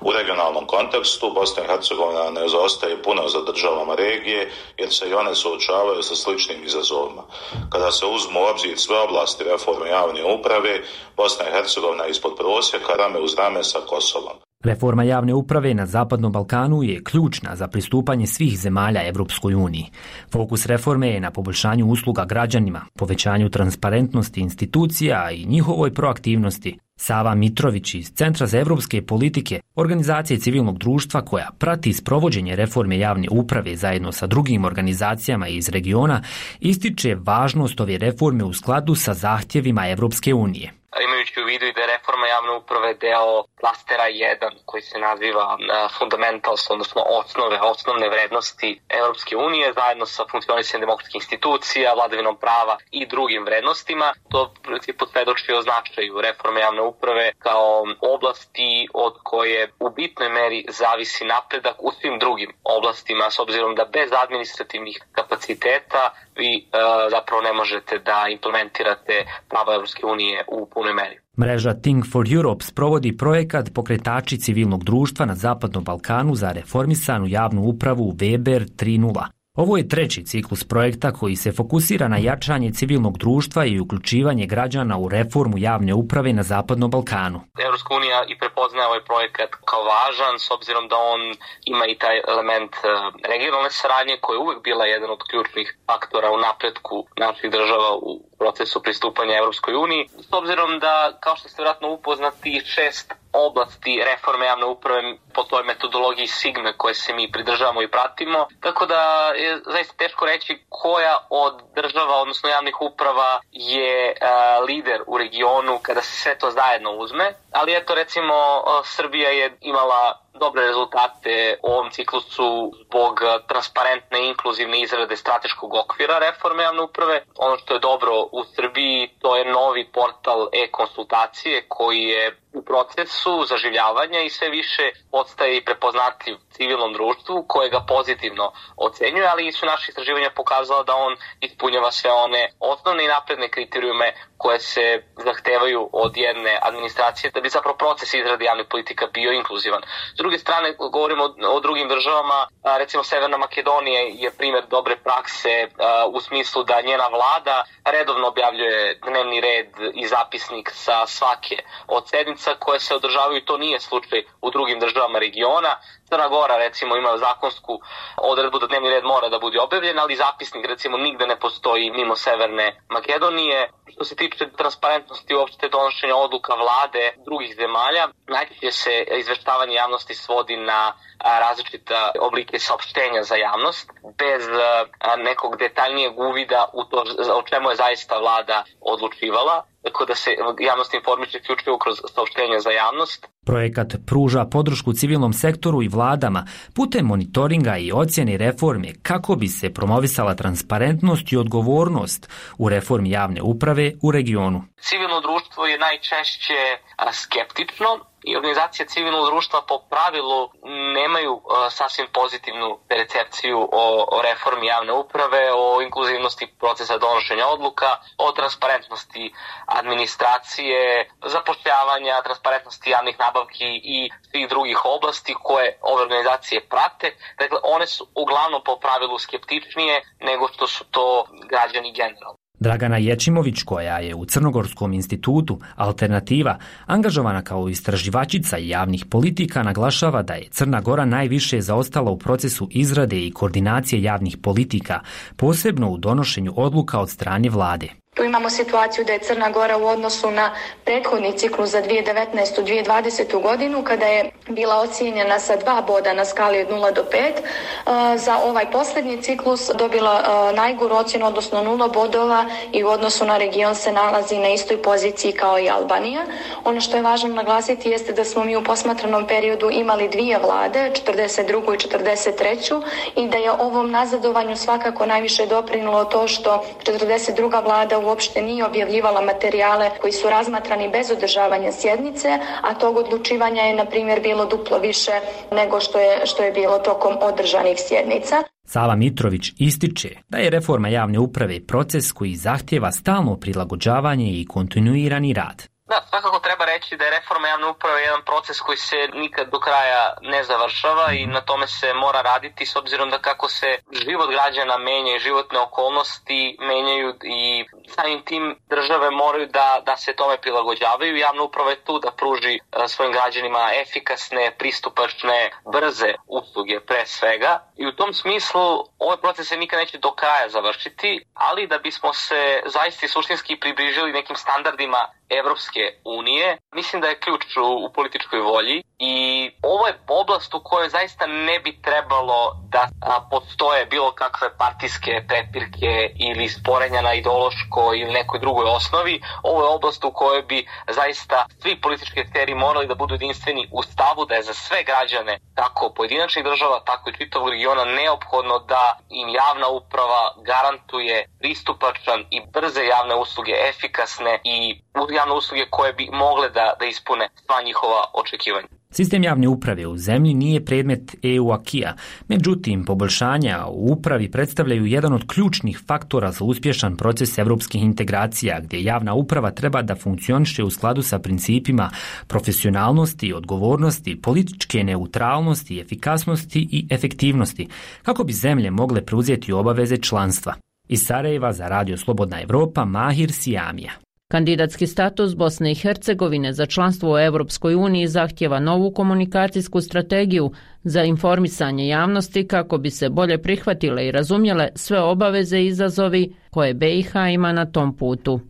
U regionalnom kontekstu Bosna i Hercegovina ne zaostaje puno za državama regije, jer se i one suočavaju sa sličnim izazovima. Kada se uzmu u obzir sve oblasti reforme javne uprave, Bosna i Hercegovina ispod prosjeka, rame uz rame sa Kosovom. Reforma javne uprave na Zapadnom Balkanu je ključna za pristupanje svih zemalja Evropskoj uniji. Fokus reforme je na poboljšanju usluga građanima, povećanju transparentnosti institucija i njihovoj proaktivnosti. Sava Mitrović iz Centra za evropske politike, organizacije civilnog društva koja prati sprovođenje reforme javne uprave zajedno sa drugim organizacijama iz regiona, ističe važnost ove reforme u skladu sa zahtjevima Evropske unije. Imajući u vidu i da je reforma javne uprave deo klastera jedan koji se naziva fundamentals, odnosno osnove, osnovne vrednosti Evropske unije zajedno sa funkcionisanjem demokratskih institucija, vladavinom prava i drugim vrednostima. To principu svedoči o značaju reforme javne uprave kao oblasti od koje u bitnoj meri zavisi napredak u svim drugim oblastima, s obzirom da bez administrativnih kapaciteta vi uh, zapravo ne možete da implementirate pravo Evropske unije u punoj meri. Mreža Think for Europe sprovodi projekat Pokretači civilnog društva na Zapadnom Balkanu za reformisanu javnu upravu Weber tri nula. Ovo je treći ciklus projekta koji se fokusira na jačanje civilnog društva i uključivanje građana u reformu javne uprave na Zapadnom Balkanu. Europska unija i prepoznaje ovaj projekat kao važan s obzirom da on ima i taj element regionalne saradnje koja je uvek bila jedan od ključnih faktora u napretku naših država u procesu pristupanja Europskoj uniji. S obzirom da, kao što ste vjerojatno upoznati, šest oblasti reforme javne uprave po toj metodologiji Sigme koje se mi pridržavamo i pratimo. Tako da je zaista teško reći koja od država, odnosno javnih uprava, je a, lider u regionu kada se sve to zajedno uzme. Ali eto, recimo, Srbija je imala dobre rezultate u ovom ciklusu zbog transparentne i inkluzivne izrade strateškog okvira reforme javne uprave. Ono što je dobro u Srbiji, to je novi portal e-konsultacije koji je u procesu zaživljavanja i sve više postaje i prepoznatljiv civilnom društvu koje ga pozitivno ocenjuje, ali su naše istraživanja pokazala da on ispunjava sve one osnovne i napredne kriterijume koje se zahtevaju od jedne administracije da bi zapravo proces izrade javnih politika bio inkluzivan. S druge strane, govorimo o, o drugim državama, recimo Severna Makedonija je primjer dobre prakse u smislu da njena vlada redovno objavljuje dnevni red i zapisnik sa svake od sednica koje se održavaju i to nije slučaj u drugim državama regiona. Crna Gora recimo ima zakonsku odredbu da dnevni red mora da bude objavljen, ali zapisnik recimo nigde ne postoji mimo Severne Makedonije. Što se tiče transparentnosti uopšte donošenja odluka vlade drugih zemalja, najčešće se izveštavanje javnosti svodi na različite oblike saopštenja za javnost, bez nekog detaljnijeg uvida u to o čemu je zaista vlada odlučivala, tako da se javnost informiše isključivo kroz saopštenja za javnost. Projekat pruža podršku civilnom sektoru i vladama putem monitoringa i ocjene reforme kako bi se promovisala transparentnost i odgovornost u reformi javne uprave u regionu. Civilno društvo je najčešće skeptično i organizacije civilnog društva po pravilu nemaju uh, sasvim pozitivnu percepciju o, o reformi javne uprave, o inkluzivnosti procesa donošenja odluka, o transparentnosti administracije, zapošljavanja, transparentnosti javnih nabavki i svih drugih oblasti koje ove organizacije prate. Dakle, one su uglavnom po pravilu skeptičnije nego što su to građani generalno. Dragana Ječimović, koja je u Crnogorskom institutu Alternativa angažovana kao istraživačica javnih politika, naglašava da je Crna Gora najviše zaostala u procesu izrade i koordinacije javnih politika, posebno u donošenju odluka od strane vlade. Tu imamo situaciju da je Crna Gora u odnosu na prethodni ciklus za dvije tisuće devetnaestu dvije tisuće dvadesete godinu, kada je bila ocijenjena sa dva boda na skali od nula do pet, za ovaj posljednji ciklus dobila najgoru ocjenu, odnosno nula bodova, i u odnosu na region se nalazi na istoj poziciji kao i Albanija. Ono što je važno naglasiti jeste da smo mi u posmatranom periodu imali dvije vlade, četrdeset drugu i četrdeset treću, i da je ovom nazadovanju svakako najviše doprinilo to što četrdeset druga vlada uopšte nije objavljivala materijale koji su razmatrani bez održavanja sjednice, a tog odlučivanja je, na primjer, bilo duplo više nego što je, što je bilo tokom održanih sjednica. Sava Mitrović ističe da je reforma javne uprave proces koji zahtjeva stalno prilagođavanje i kontinuirani rad. Da, svakako treba reći da je reforma javne uprave jedan proces koji se nikad do kraja ne završava i na tome se mora raditi, s obzirom da kako se život građana menja i životne okolnosti menjaju i samim tim države moraju da, da se tome prilagođavaju. Javna uprava je tu da pruži svojim građanima efikasne, pristupačne, brze usluge pre svega i u tom smislu ovaj proces se nikad neće do kraja završiti, ali da bismo se zaista suštinski približili nekim standardima Evropske unije, mislim da je ključ u, u političkoj volji i ovo je oblast u kojoj zaista ne bi trebalo da a, postoje bilo kakve partijske prepirke ili sporenja na ideološkoj ili nekoj drugoj osnovi. Ovo je oblast u kojoj bi zaista svi politički akteri morali da budu jedinstveni u stavu da je za sve građane, kako pojedinačnih država, tako i čitavog regiona, neophodno da im javna uprava garantuje pristupačan i brze javne usluge, efikasne i javne usluge koje bi mogle da, da ispune sva njihova očekivanja. Sistem javne uprave u zemlji nije predmet E U acquisa, međutim, poboljšanja u upravi predstavljaju jedan od ključnih faktora za uspješan proces evropskih integracija, gdje javna uprava treba da funkcioniše u skladu sa principima profesionalnosti, odgovornosti, političke neutralnosti, efikasnosti i efektivnosti, kako bi zemlje mogle preuzeti obaveze članstva. Iz Sarajeva za Radio Slobodna Evropa, Mahir Sijamija. Kandidatski status Bosne i Hercegovine za članstvo u Europskoj uniji zahtjeva novu komunikacijsku strategiju za informisanje javnosti kako bi se bolje prihvatile i razumjele sve obaveze i izazovi koje B i H ima na tom putu.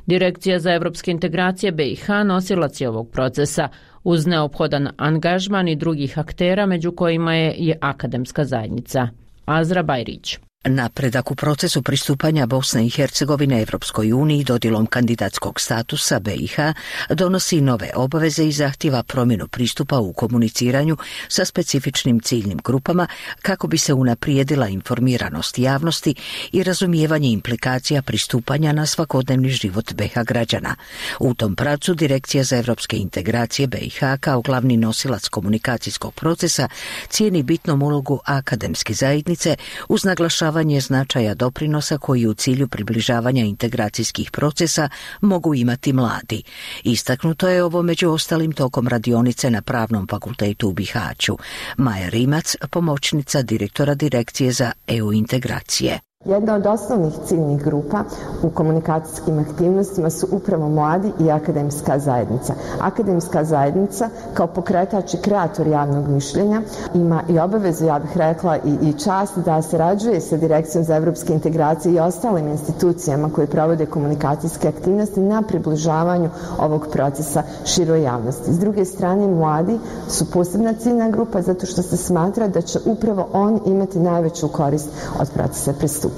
Direkcija za evropske integracije B i H nosilac je ovog procesa, uz neophodan angažman i drugih aktera, među kojima je i akademska zajednica. Azra Bajrić. Napredak u procesu pristupanja Bosne i Hercegovine Evropskoj uniji dodjelom kandidatskog statusa B i H donosi nove obaveze i zahtjeva promjenu pristupa u komuniciranju sa specifičnim ciljnim grupama kako bi se unaprijedila informiranost javnosti i razumijevanje implikacija pristupanja na svakodnevni život B i H građana. U tom pravcu Direkcija za evropske integracije B i H kao glavni nosilac komunikacijskog procesa cijeni bitnom ulogu akademske zajednice uz naglašavanje značaja doprinosa koji u cilju približavanja integracijskih procesa mogu imati mladi. Istaknuto je ovo među ostalim tokom radionice na Pravnom fakultetu u Bihaću. Maja Rimac, pomoćnica direktora Direkcije za E U integracije. Jedna od osnovnih ciljnih grupa u komunikacijskim aktivnostima su upravo mladi i akademska zajednica. Akademska zajednica kao pokretač i kreator javnog mišljenja ima i obavezu, ja bih rekla, i, i čast da sarađuje sa Direkcijom za evropske integracije i ostalim institucijama koje provode komunikacijske aktivnosti na približavanju ovog procesa široj javnosti. S druge strane, mladi su posebna ciljna grupa zato što se smatra da će upravo on imati najveću korist od procesa pristupanja.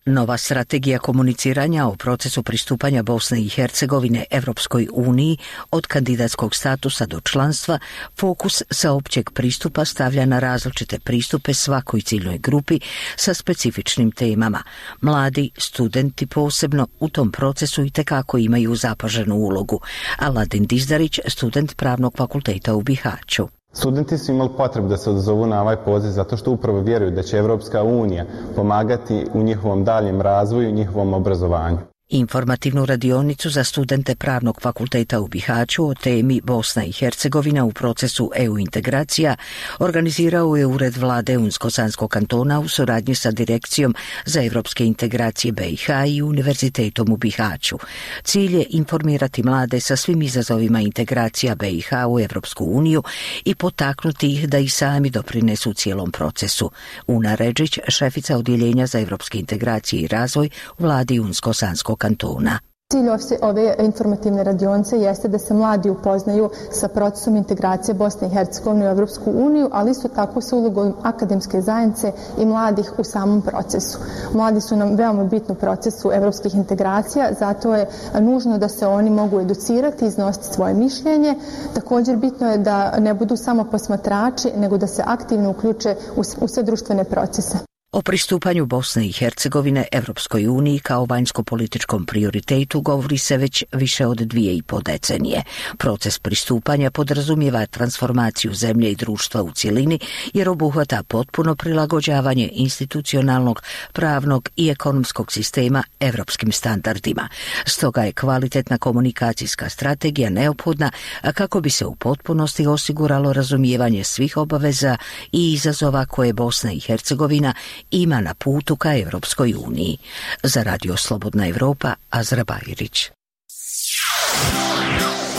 Nova strategija komuniciranja o procesu pristupanja Bosne i Hercegovine Evropskoj uniji od kandidatskog statusa do članstva fokus sa općeg pristupa stavlja na različite pristupe svakoj ciljnoj grupi sa specifičnim temama. Mladi, studenti posebno u tom procesu itekako imaju zapaženu ulogu. Aladin Dizdarić, student Pravnog fakulteta u Bihaću. Studenti su imali potrebu da se odazovu na ovaj poziv zato što upravo vjeruju da će Evropska unija pomagati u njihovom daljem razvoju i njihovom obrazovanju. Informativnu radionicu za studente Pravnog fakulteta u Bihaću o temi Bosna i Hercegovina u procesu E U integracija organizirao je Ured vlade Unsko-Sanskog kantona u suradnji sa Direkcijom za evropske integracije B i H i Univerzitetom u Bihaću. Cilj je informirati mlade sa svim izazovima integracija B i H u Evropsku uniju i potaknuti ih da i sami doprinesu cijelom procesu. Una Redžić, šefica odjeljenja za evropske integracije i razvoj u vladi Unsko-Sanskog kantona. Cilj ove informativne radionice jeste da se mladi upoznaju sa procesom integracije Bosne i Hercegovine u Evropsku uniju, ali isto tako sa ulogom akademske zajednice i mladih u samom procesu. Mladi su nam veoma bitni u procesu evropskih integracija, zato je nužno da se oni mogu educirati i iznositi svoje mišljenje. Također bitno je da ne budu samo posmatrači, nego da se aktivno uključe u sve društvene procese. O pristupanju Bosne i Hercegovine Evropskoj uniji kao vanjsko-političkom prioritetu govori se već više od dvije i po decenije. Proces pristupanja podrazumijeva transformaciju zemlje i društva u cjelini jer obuhvata potpuno prilagođavanje institucionalnog, pravnog i ekonomskog sistema evropskim standardima. Stoga je kvalitetna komunikacijska strategija neophodna kako bi se u potpunosti osiguralo razumijevanje svih obaveza i izazova koje Bosna i Hercegovina ima na putu ka Evropskoj uniji. Za Radio Slobodna Evropa, Azra Bajrić.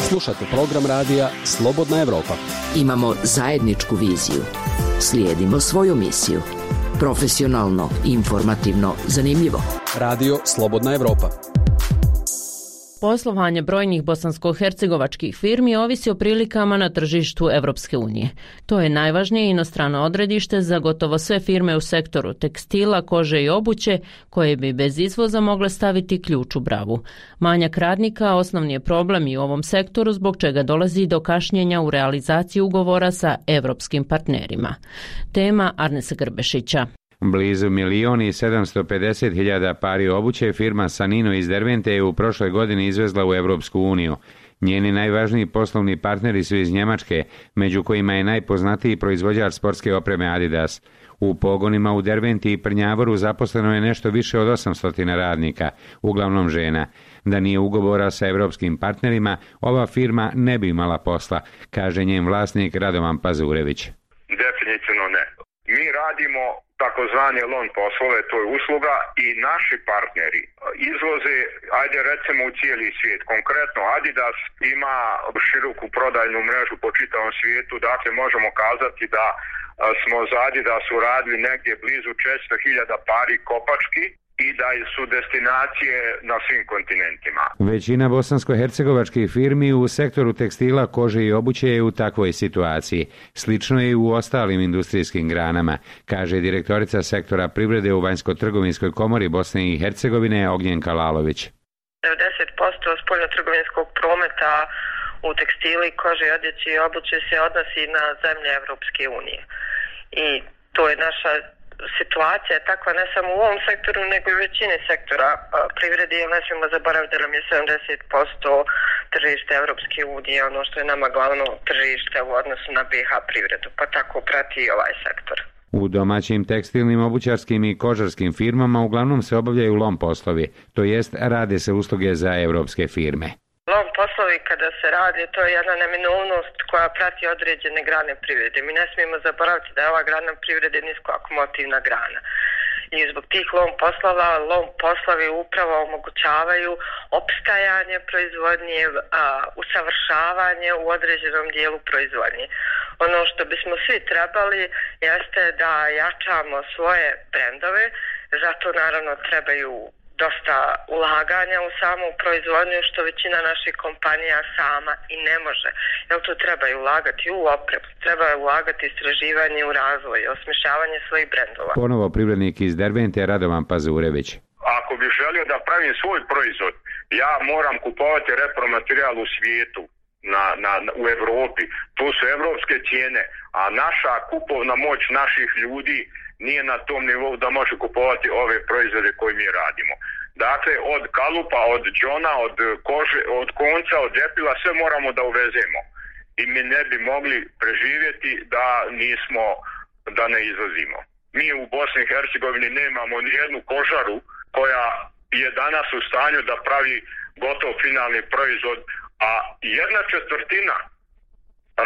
Slušate program radija Slobodna Evropa. Imamo zajedničku viziju. Slijedimo svoju misiju. Profesionalno, informativno, zanimljivo. Radio Slobodna Evropa. Poslovanje brojnih bosansko-hercegovačkih firmi ovisi o prilikama na tržištu Evropske unije. To je najvažnije inostrano odredište za gotovo sve firme u sektoru tekstila, kože i obuće, koje bi bez izvoza mogle staviti ključ u bravu. Manjak radnika osnovni je problem i u ovom sektoru, zbog čega dolazi do kašnjenja u realizaciji ugovora sa evropskim partnerima. Tema Arnesa Grbešića. Blizu milion i sedamsto pedeset hiljada pari obuće firma Sanino iz Dervente je u prošloj godini izvezla u Evropsku uniju. Njeni najvažniji poslovni partneri su iz Njemačke, među kojima je najpoznatiji proizvođač sportske opreme Adidas. U pogonima u Derventi i Prnjavoru zaposleno je nešto više od osamsto radnika, uglavnom žena. Da nije ugovora sa evropskim partnerima, ova firma ne bi imala posla, kaže njen vlasnik Radovan Pazurević. Definitivno ne. Mi radimo takozvani lon poslove, to je usluga, i naši partneri izvoze, ajde recimo u cijeli svijet. Konkretno Adidas ima široku prodajnu mrežu po čitavom svijetu, dakle možemo kazati da smo za Adidas uradili negdje blizu četiristo hiljada pari kopački i da su destinacije na svim kontinentima. Većina bosansko-hercegovačkih firmi u sektoru tekstila, kože i obuće je u takvoj situaciji. Slično je i u ostalim industrijskim granama, kaže direktorica sektora privrede u Vanjsko-trgovinskoj komori Bosne i Hercegovine Ognjenka Lalović. devedeset posto spoljnotrgovinskog prometa u tekstili, kože, odjeći i obuće se odnosi na zemlje Evropske unije. I to je naša situacija je takva ne samo u ovom sektoru, nego i u većini sektora privrede, jer ne smijemo zaboraviti da nam je sedamdeset posto tržište Evropske unije, ono što je nama glavno tržište u odnosu na B iH privredu, pa tako prati i ovaj sektor. U domaćim tekstilnim, obućarskim i kožarskim firmama uglavnom se obavljaju lom poslovi, to jest rade se usluge za evropske firme. Lom poslovi kada se radi, to je jedna neminovnost koja prati određene grane privrede. Mi ne smijemo zaboraviti da je ova grana privrede niskoakumotivna grana. I zbog tih lom poslova, lom poslovi upravo omogućavaju opstajanje proizvodnje, a, usavršavanje u određenom dijelu proizvodnje. Ono što bismo svi trebali jeste da jačamo svoje brendove, zato naravno trebaju dosta ulaganja u samu proizvodnju, što većina naših kompanija sama i ne može. Jer tu treba i ulagati u opremu, treba ulagati istraživanje u razvoj, osmišljavanje svojih brendova. Ponovo privrednik iz Dervente Radovan Pazurević. Ako bih želio da pravim svoj proizvod, ja moram kupovati repromaterijal u svijetu, na, na, u Evropi. To su evropske cijene, a naša kupovna moć naših ljudi nije na tom nivou da može kupovati ove proizvode koje mi radimo. Dakle, od kalupa, od džona, od kože, od konca, od džepila, sve moramo da uvezemo. I mi ne bi mogli preživjeti da nismo, da ne izvozimo. Mi u Bosni i Hercegovini nemamo ni jednu kožaru koja je danas u stanju da pravi gotov finalni proizvod, a jedna četvrtina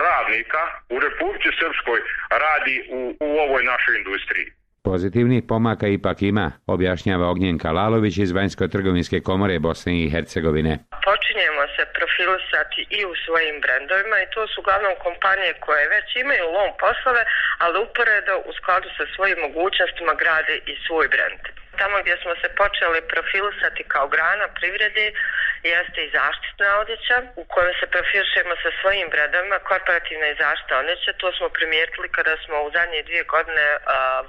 radnika u Republici Srpskoj radi u, u ovoj našoj industriji. Pozitivnih pomaka ipak ima, objašnjava Ognjenka Lalović iz Vanjsko-trgovinske komore Bosne i Hercegovine. Počinjemo se profilisati i u svojim brendovima i to su uglavnom kompanije koje već imaju lom poslove, ali uporedo u skladu sa svojim mogućnostima grade i svoj brend. Tamo gdje smo se počeli profilisati kao grana privrede jeste i zaštitna odjeća u kojoj se profilišemo sa svojim brendovima, korporativna i zaštitna odjeća. To smo primijetili kada smo u zadnje dvije godine a,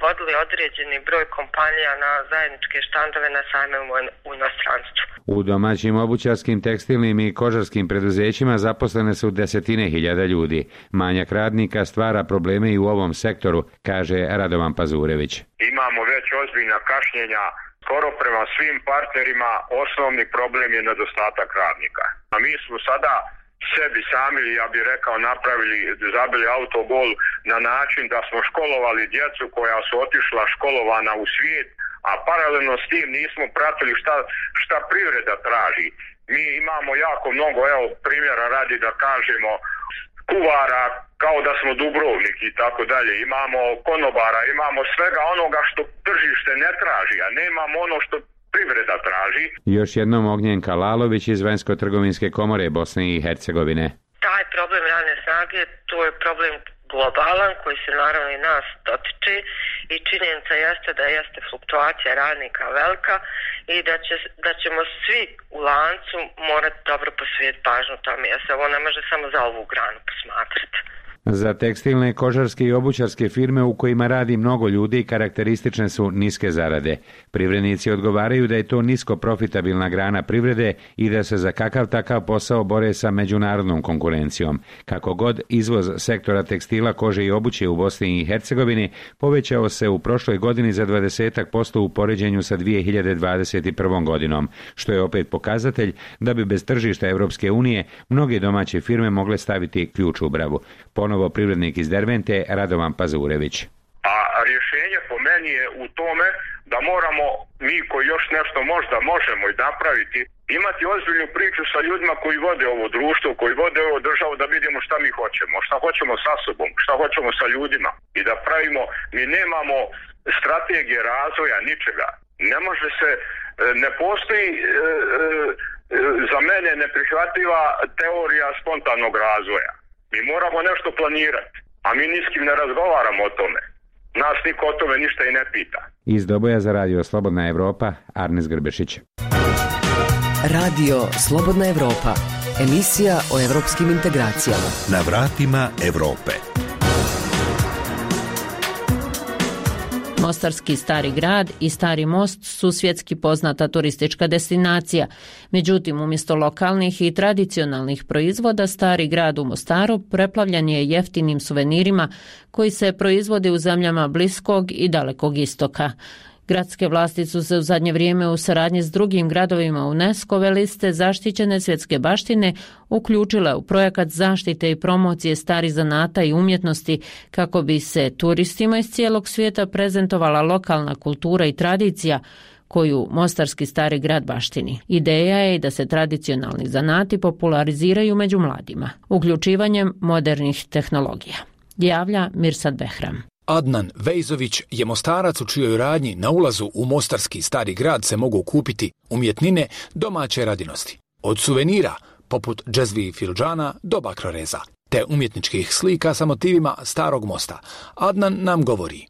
vodili određeni broj kompanija na zajedničke štandove na sajmima u inostranstvu. U domaćim obućarskim, tekstilnim i kožarskim preduzećima zaposlene su desetine hiljada ljudi. Manjak radnika stvara probleme i u ovom sektoru, kaže Radovan Pazurević. Imamo već ozbiljna kašnjenja, skoro prema svim partnerima osnovni problem je nedostatak radnika. A mi smo sada sebi sami, ja bih rekao, napravili, zabili autogol na način da smo školovali djecu koja su otišla školovana u svijet, a paralelno s tim nismo pratili šta, šta privreda traži. Mi imamo jako mnogo, evo primjera radi da kažemo, kuvara kao da smo Dubrovnik i tako dalje. Imamo konobara, imamo svega onoga što tržište ne traži, a nemamo ono što privreda traži. Još jednom Ognjenka Lalović iz Vanjsko-trgovinske komore Bosne i Hercegovine. Taj problem radne snage, to je problem globalan koji se naravno i nas dotiče i činjenica jeste da jeste fluktuacija radnika velika i da, će, da ćemo svi u lancu morati dobro posvetiti pažnju tome, jer se ovo ne može samo za ovu granu posmatrati. Za tekstilne, kožarske i obućarske firme u kojima radi mnogo ljudi karakteristične su niske zarade. Privrednici odgovaraju da je to nisko profitabilna grana privrede i da se za kakav takav posao bore sa međunarodnom konkurencijom. Kako god, izvoz sektora tekstila, kože i obuće u Bosni i Hercegovini povećao se u prošloj godini za dvadeset posto u poređenju sa dvije hiljade dvadeset prvom godinom, što je opet pokazatelj da bi bez tržišta Evropske unije mnoge domaće firme mogle staviti ključ u bravu. Ponovo privrednik iz Dervente, Radovan Pazurević. A rješenje po meni je u tome da moramo mi koji još nešto možda možemo i napraviti, imati ozbiljnu priču sa ljudima koji vode ovo društvo, koji vode ovo državu, da vidimo šta mi hoćemo, šta hoćemo sa sobom, šta hoćemo sa ljudima i da pravimo, mi nemamo strategije razvoja ničega. Ne može se, ne postoji e, e, za mene neprihvatljiva teorija spontanog razvoja. Mi moramo nešto planirati, a mi ni s kim ne razgovaramo o tome. Nas niko o tome ništa i ne pita. Iz Doboja za radio Slobodna Evropa, Arnes Grbešić. Radio Slobodna Evropa, emisija o evropskim integracijama. Na vratima Evrope. Mostarski Stari grad i Stari most su svjetski poznata turistička destinacija. Međutim, umjesto lokalnih i tradicionalnih proizvoda, Stari grad u Mostaru preplavljen je jeftinim suvenirima koji se proizvode u zemljama Bliskog i Dalekog istoka. Gradske vlasti su se u zadnje vrijeme u saradnji s drugim gradovima UNESCO-ve liste zaštićene svjetske baštine uključile u projekat zaštite i promocije starih zanata i umjetnosti kako bi se turistima iz cijelog svijeta prezentovala lokalna kultura i tradicija koju Mostarski Stari grad baštini. Ideja je da se tradicionalni zanati populariziraju među mladima, uključivanjem modernih tehnologija. Javlja Mirsad Behram. Adnan Vejzović je Mostarac u čijoj radnji na ulazu u Mostarski Stari grad se mogu kupiti umjetnine domaće radinosti. Od suvenira, poput džezvi i filđana, do bakroreza, te umjetničkih slika sa motivima Starog mosta. Adnan nam govori.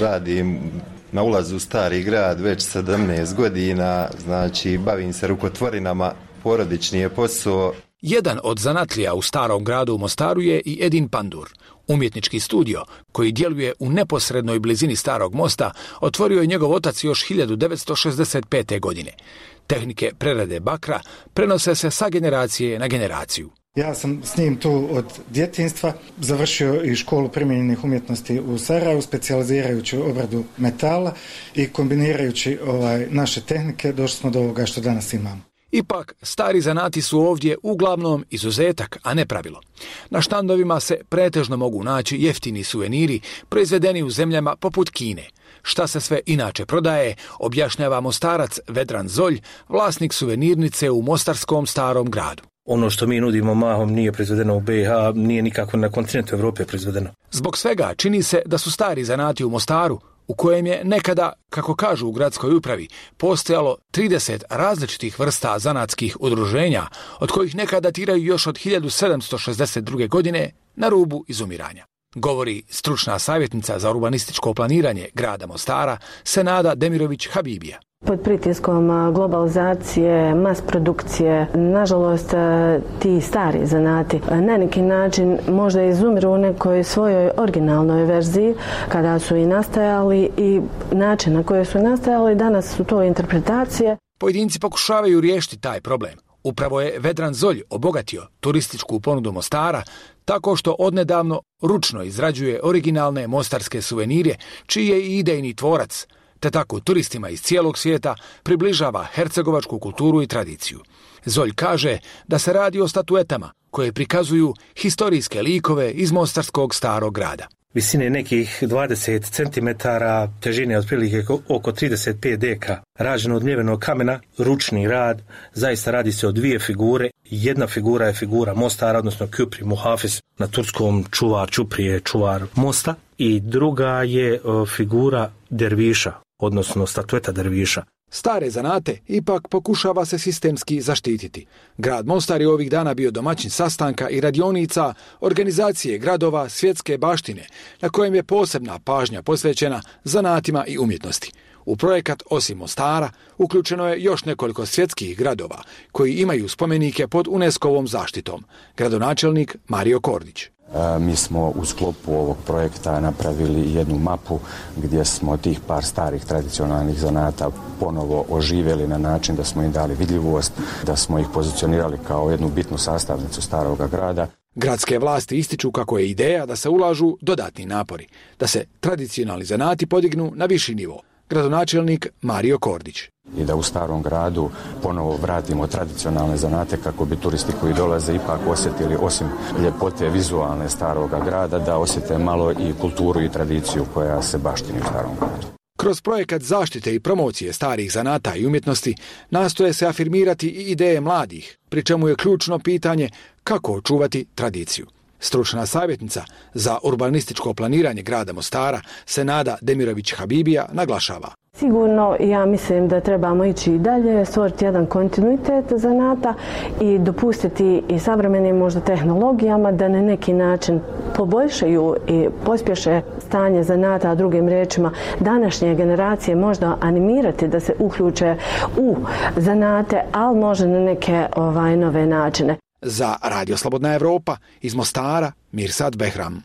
Radim na ulazu u Stari grad već sedamnaest godina, znači bavim se rukotvorinama, porodični je posao. Jedan od zanatlija u Starom gradu u Mostaru je i Edin Pandur. Umjetnički studio, koji djeluje u neposrednoj blizini Starog mosta, otvorio je njegov otac još hiljadu devetsto šezdeset pete. godine. Tehnike prerade bakra prenose se sa generacije na generaciju. Ja sam s njim tu od djetinjstva, završio i školu primijenjenih umjetnosti u Sarajevu, specijalizirajući obradu metala i kombinirajući ovaj, naše tehnike došli smo do ovoga što danas imamo. Ipak, stari zanati su ovdje uglavnom izuzetak, a ne pravilo. Na štandovima se pretežno mogu naći jeftini suveniri proizvedeni u zemljama poput Kine. Šta se sve inače prodaje, objašnjava Mostarac Vedran Zolj, vlasnik suvenirnice u Mostarskom Starom gradu. Ono što mi nudimo mahom nije proizvedeno u B i H, nije nikako na kontinentu Evrope proizvedeno. Zbog svega čini se da su stari zanati u Mostaru, u kojem je nekada, kako kažu u gradskoj upravi, postojalo trideset različitih vrsta zanatskih udruženja, od kojih neka datiraju još od hiljadu sedamsto šezdeset druge. godine, na rubu izumiranja. Govori stručna savjetnica za urbanističko planiranje grada Mostara, Senada Demirović Habibija. Pod pritiskom globalizacije, mas produkcije, nažalost ti stari zanati na neki način možda izumiru u nekoj svojoj originalnoj verziji kada su i nastajali i način na koje su nastajali, danas su to interpretacije. Pojedinci pokušavaju riješiti taj problem. Upravo je Vedran Zolj obogatio turističku ponudu Mostara tako što odnedavno ručno izrađuje originalne mostarske suvenire, čiji je i idejni tvorac, te tako turistima iz cijelog svijeta približava hercegovačku kulturu i tradiciju. Zolj kaže da se radi o statuetama koje prikazuju historijske likove iz Mostarskog Starog grada. Visine nekih dvadeset centimetara, težine otprilike oko trideset pet deka, rađeno od mljevenog kamena, ručni rad, zaista radi se o dvije figure. Jedna figura je figura Mostara, odnosno Küpri Muhafis, na turskom čuvar Čuprije, čuvar mosta, i druga je figura derviša, odnosno statueta derviša. Stare zanate ipak pokušava se sistemski zaštititi. Grad Mostar je ovih dana bio domaćin sastanka i radionica organizacije gradova svjetske baštine, na kojem je posebna pažnja posvećena zanatima i umjetnosti. U projekat osim Mostara uključeno je još nekoliko svjetskih gradova koji imaju spomenike pod UNESCO-vom zaštitom. Gradonačelnik Mario Kordić. Mi smo u sklopu ovog projekta napravili jednu mapu gdje smo tih par starih tradicionalnih zanata ponovo oživjeli na način da smo im dali vidljivost, da smo ih pozicionirali kao jednu bitnu sastavnicu staroga grada. Gradske vlasti ističu kako je ideja da se ulažu dodatni napori, da se tradicionalni zanati podignu na viši nivo. Gradonačelnik Mario Kordić. I da u starom gradu ponovo vratimo tradicionalne zanate kako bi turisti koji dolaze ipak osjetili osim ljepote vizualne staroga grada, da osjete malo i kulturu i tradiciju koja se baštini u starom gradu. Kroz projekat zaštite i promocije starih zanata i umjetnosti nastoje se afirmirati i ideje mladih, pri čemu je ključno pitanje kako očuvati tradiciju. Stručna savjetnica za urbanističko planiranje grada Mostara, Senada Demirović-Habibija, naglašava. Sigurno, ja mislim da trebamo ići i dalje, stvoriti jedan kontinuitet zanata i dopustiti i savremenim možda tehnologijama da na neki način poboljšaju i pospješe stanje zanata, a drugim riječima današnje generacije možda animirati da se uključe u zanate, ali možda na neke ovaj, nove načine. Za Radio Slobodna Evropa iz Mostara, Mirsad Behram.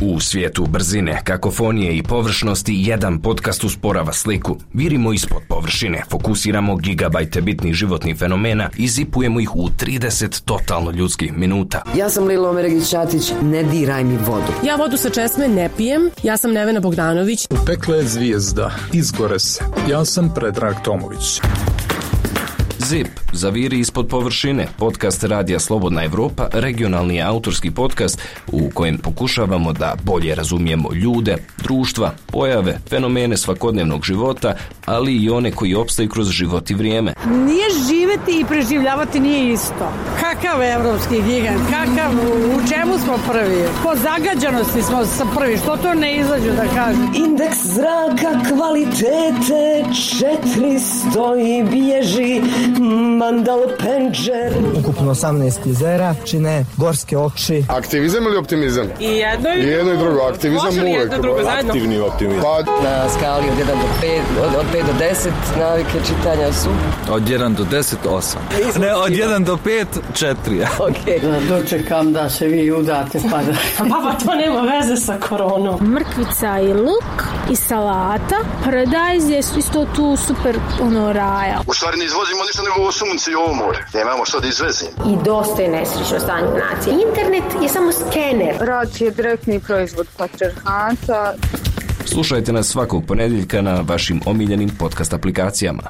U svijetu brzine, kakofonije i površnosti jedan podcast usporava sliku. Virimo ispod površine, fokusiramo gigabajte bitnih životnih fenomena i zipujemo ih u trideset totalno ljudskih minuta. Ja sam Lilo Omeregić-Ćatić, ne diraj mi vodu. Ja vodu sa česme ne pijem, ja sam Nevena Bogdanović. U pekle je zvijezda, izgore se. Ja sam Predrag Tomović. Zip, zaviri ispod površine, podcast Radija Slobodna Evropa, regionalni autorski podcast u kojem pokušavamo da bolje razumijemo ljude, društva, pojave, fenomene svakodnevnog života, ali i one koji opstaju kroz život i vrijeme. Nije živjeti i preživljavati nije isto. Kakav evropski gigant, kakav, u čemu smo prvi? Po zagađanosti smo prvi, što to ne izađu da kažu? Indeks zraka kvalitete četiristo i bježi Mandal Penđer. Ukupno osamnaest jezera čine gorske okši. Aktivizam ili optimizam? I jedno i, I jedno i drugo. Aktivizam uvijek. Aktivni optimizam. Pa... Na skali od jedan do pet, od, od pet do deset navike čitanja su? Od jedan do deset, osam. Ne, od jedan do pet, četiri. Okay. Da dočekam da se vi udate pa da... Baba, to nema veze sa koronom. Mrkvica i luk i salata. Paradajz je isto tu super ono raja. U stvari ne izvozimo ništa nego ovo sunce i ovo more. Nemamo što da izvezimo. I dosta je nesrećno stanje nacije. Internet je samo skener. Rad je direktni proizvod patriarhata. Slušajte nas svakog ponedjeljka na vašim omiljenim podcast aplikacijama.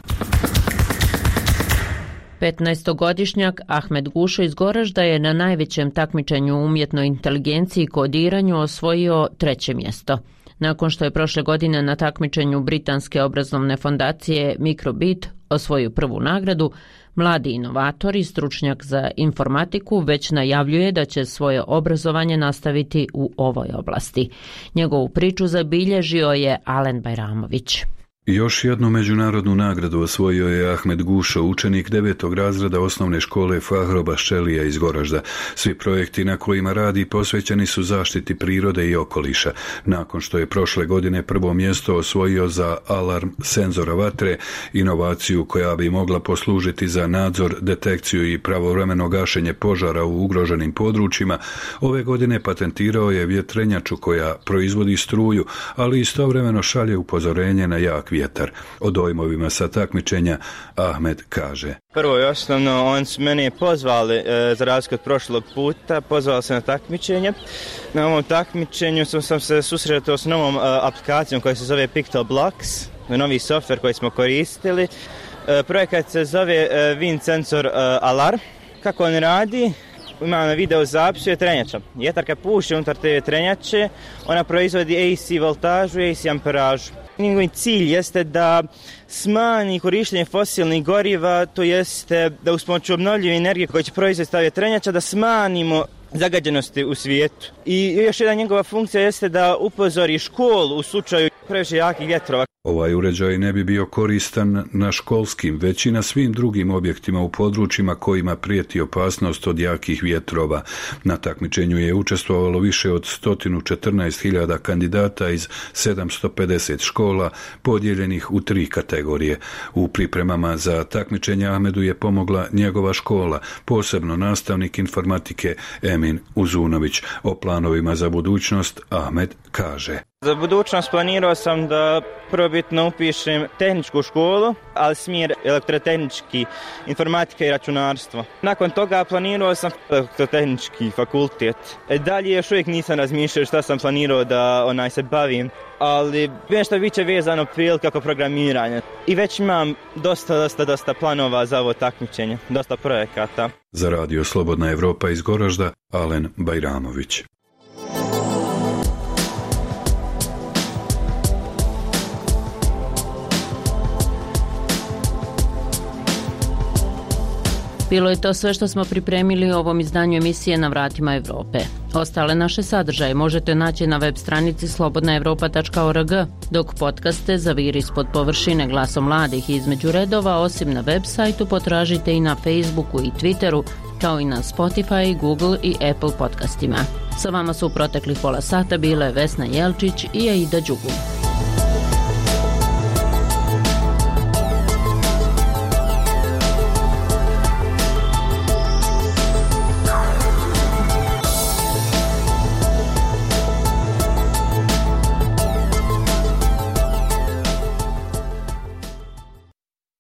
petnaestogodišnjak Ahmed Gušo iz Goražda je na najvećem takmičenju u umjetnoj inteligenciji i kodiranju osvojio treće mjesto. Nakon što je prošle godine na takmičenju britanske obrazovne fondacije Microbit osvojio prvu nagradu, mladi inovator i stručnjak za informatiku već najavljuje da će svoje obrazovanje nastaviti u ovoj oblasti. Njegovu priču zabilježio je Alen Bajramović. Još jednu međunarodnu nagradu osvojio je Ahmed Gušo, učenik devetog razreda osnovne škole Fahroba Šelija iz Goražda. Svi projekti na kojima radi posvećeni su zaštiti prirode i okoliša. Nakon što je prošle godine prvo mjesto osvojio za alarm senzora vatre, inovaciju koja bi mogla poslužiti za nadzor, detekciju i pravovremeno gašenje požara u ugroženim područjima, ove godine patentirao je vjetrenjaču koja proizvodi struju, ali istovremeno šalje upozorenje na jak vjetar. O dojmovima sa takmičenja Ahmed kaže: Prvo i osnovno, on su mene pozvali, e, za razliku od prošlog puta, pozvali se na takmičenje. Na ovom takmičenju sam, sam se susretao s novom e, aplikacijom koja se zove Pictoblocks, novi softver koji smo koristili. E, projekat se zove e, Wind Sensor e, Alarm. Kako on radi? Imamo na video zapisu je trenjača. Vjetar kad puše unutar te trenjače, ona proizvodi A C voltažu i A C amperažu. Njegov cilj jeste da smanji korištenje fosilnih goriva, to jeste da uz pomoću obnovljive energije koje će proizvesti ta vjetrenjača, da smanjimo zagađenosti u svijetu. I još jedna njegova funkcija jeste da upozori školu u slučaju previše jakih vjetrova. Ovaj uređaj ne bi bio koristan na školskim, već i na svim drugim objektima u područjima kojima prijeti opasnost od jakih vjetrova. Na takmičenju je učestvovalo više od sto četrnaest hiljada kandidata iz sedamsto pedeset škola podijeljenih u tri kategorije. U pripremama za takmičenje Ahmedu je pomogla njegova škola, posebno nastavnik informatike Emin Uzunović. O planovima za budućnost Ahmed kaže: Za budućnost planirao sam da prvobitno upišem tehničku školu, ali smjer elektrotehnički, informatika i računarstvo. Nakon toga planirao sam elektrotehnički fakultet. Dalje još uvijek nisam razmišljao šta sam planirao da onaj se bavim, ali nešto biće vezano prilike oko programiranja. I već imam dosta, dosta, dosta planova za ovo takmičenje, dosta projekata. Za radio Slobodna Evropa iz Goražda, Alen Bajramović. Bilo je to sve što smo pripremili u ovom izdanju emisije Na vratima Evrope. Ostale naše sadržaje možete naći na web stranici slobodna evropa tačka org, dok podcaste Zaviri ispod površine glasom mladih i između redova, osim na web sajtu, potražite i na Facebooku i Twitteru, kao i na Spotify, Google i Apple podcastima. Sa vama su u proteklih pola sata bile Vesna Jelčić i Aida Đugum.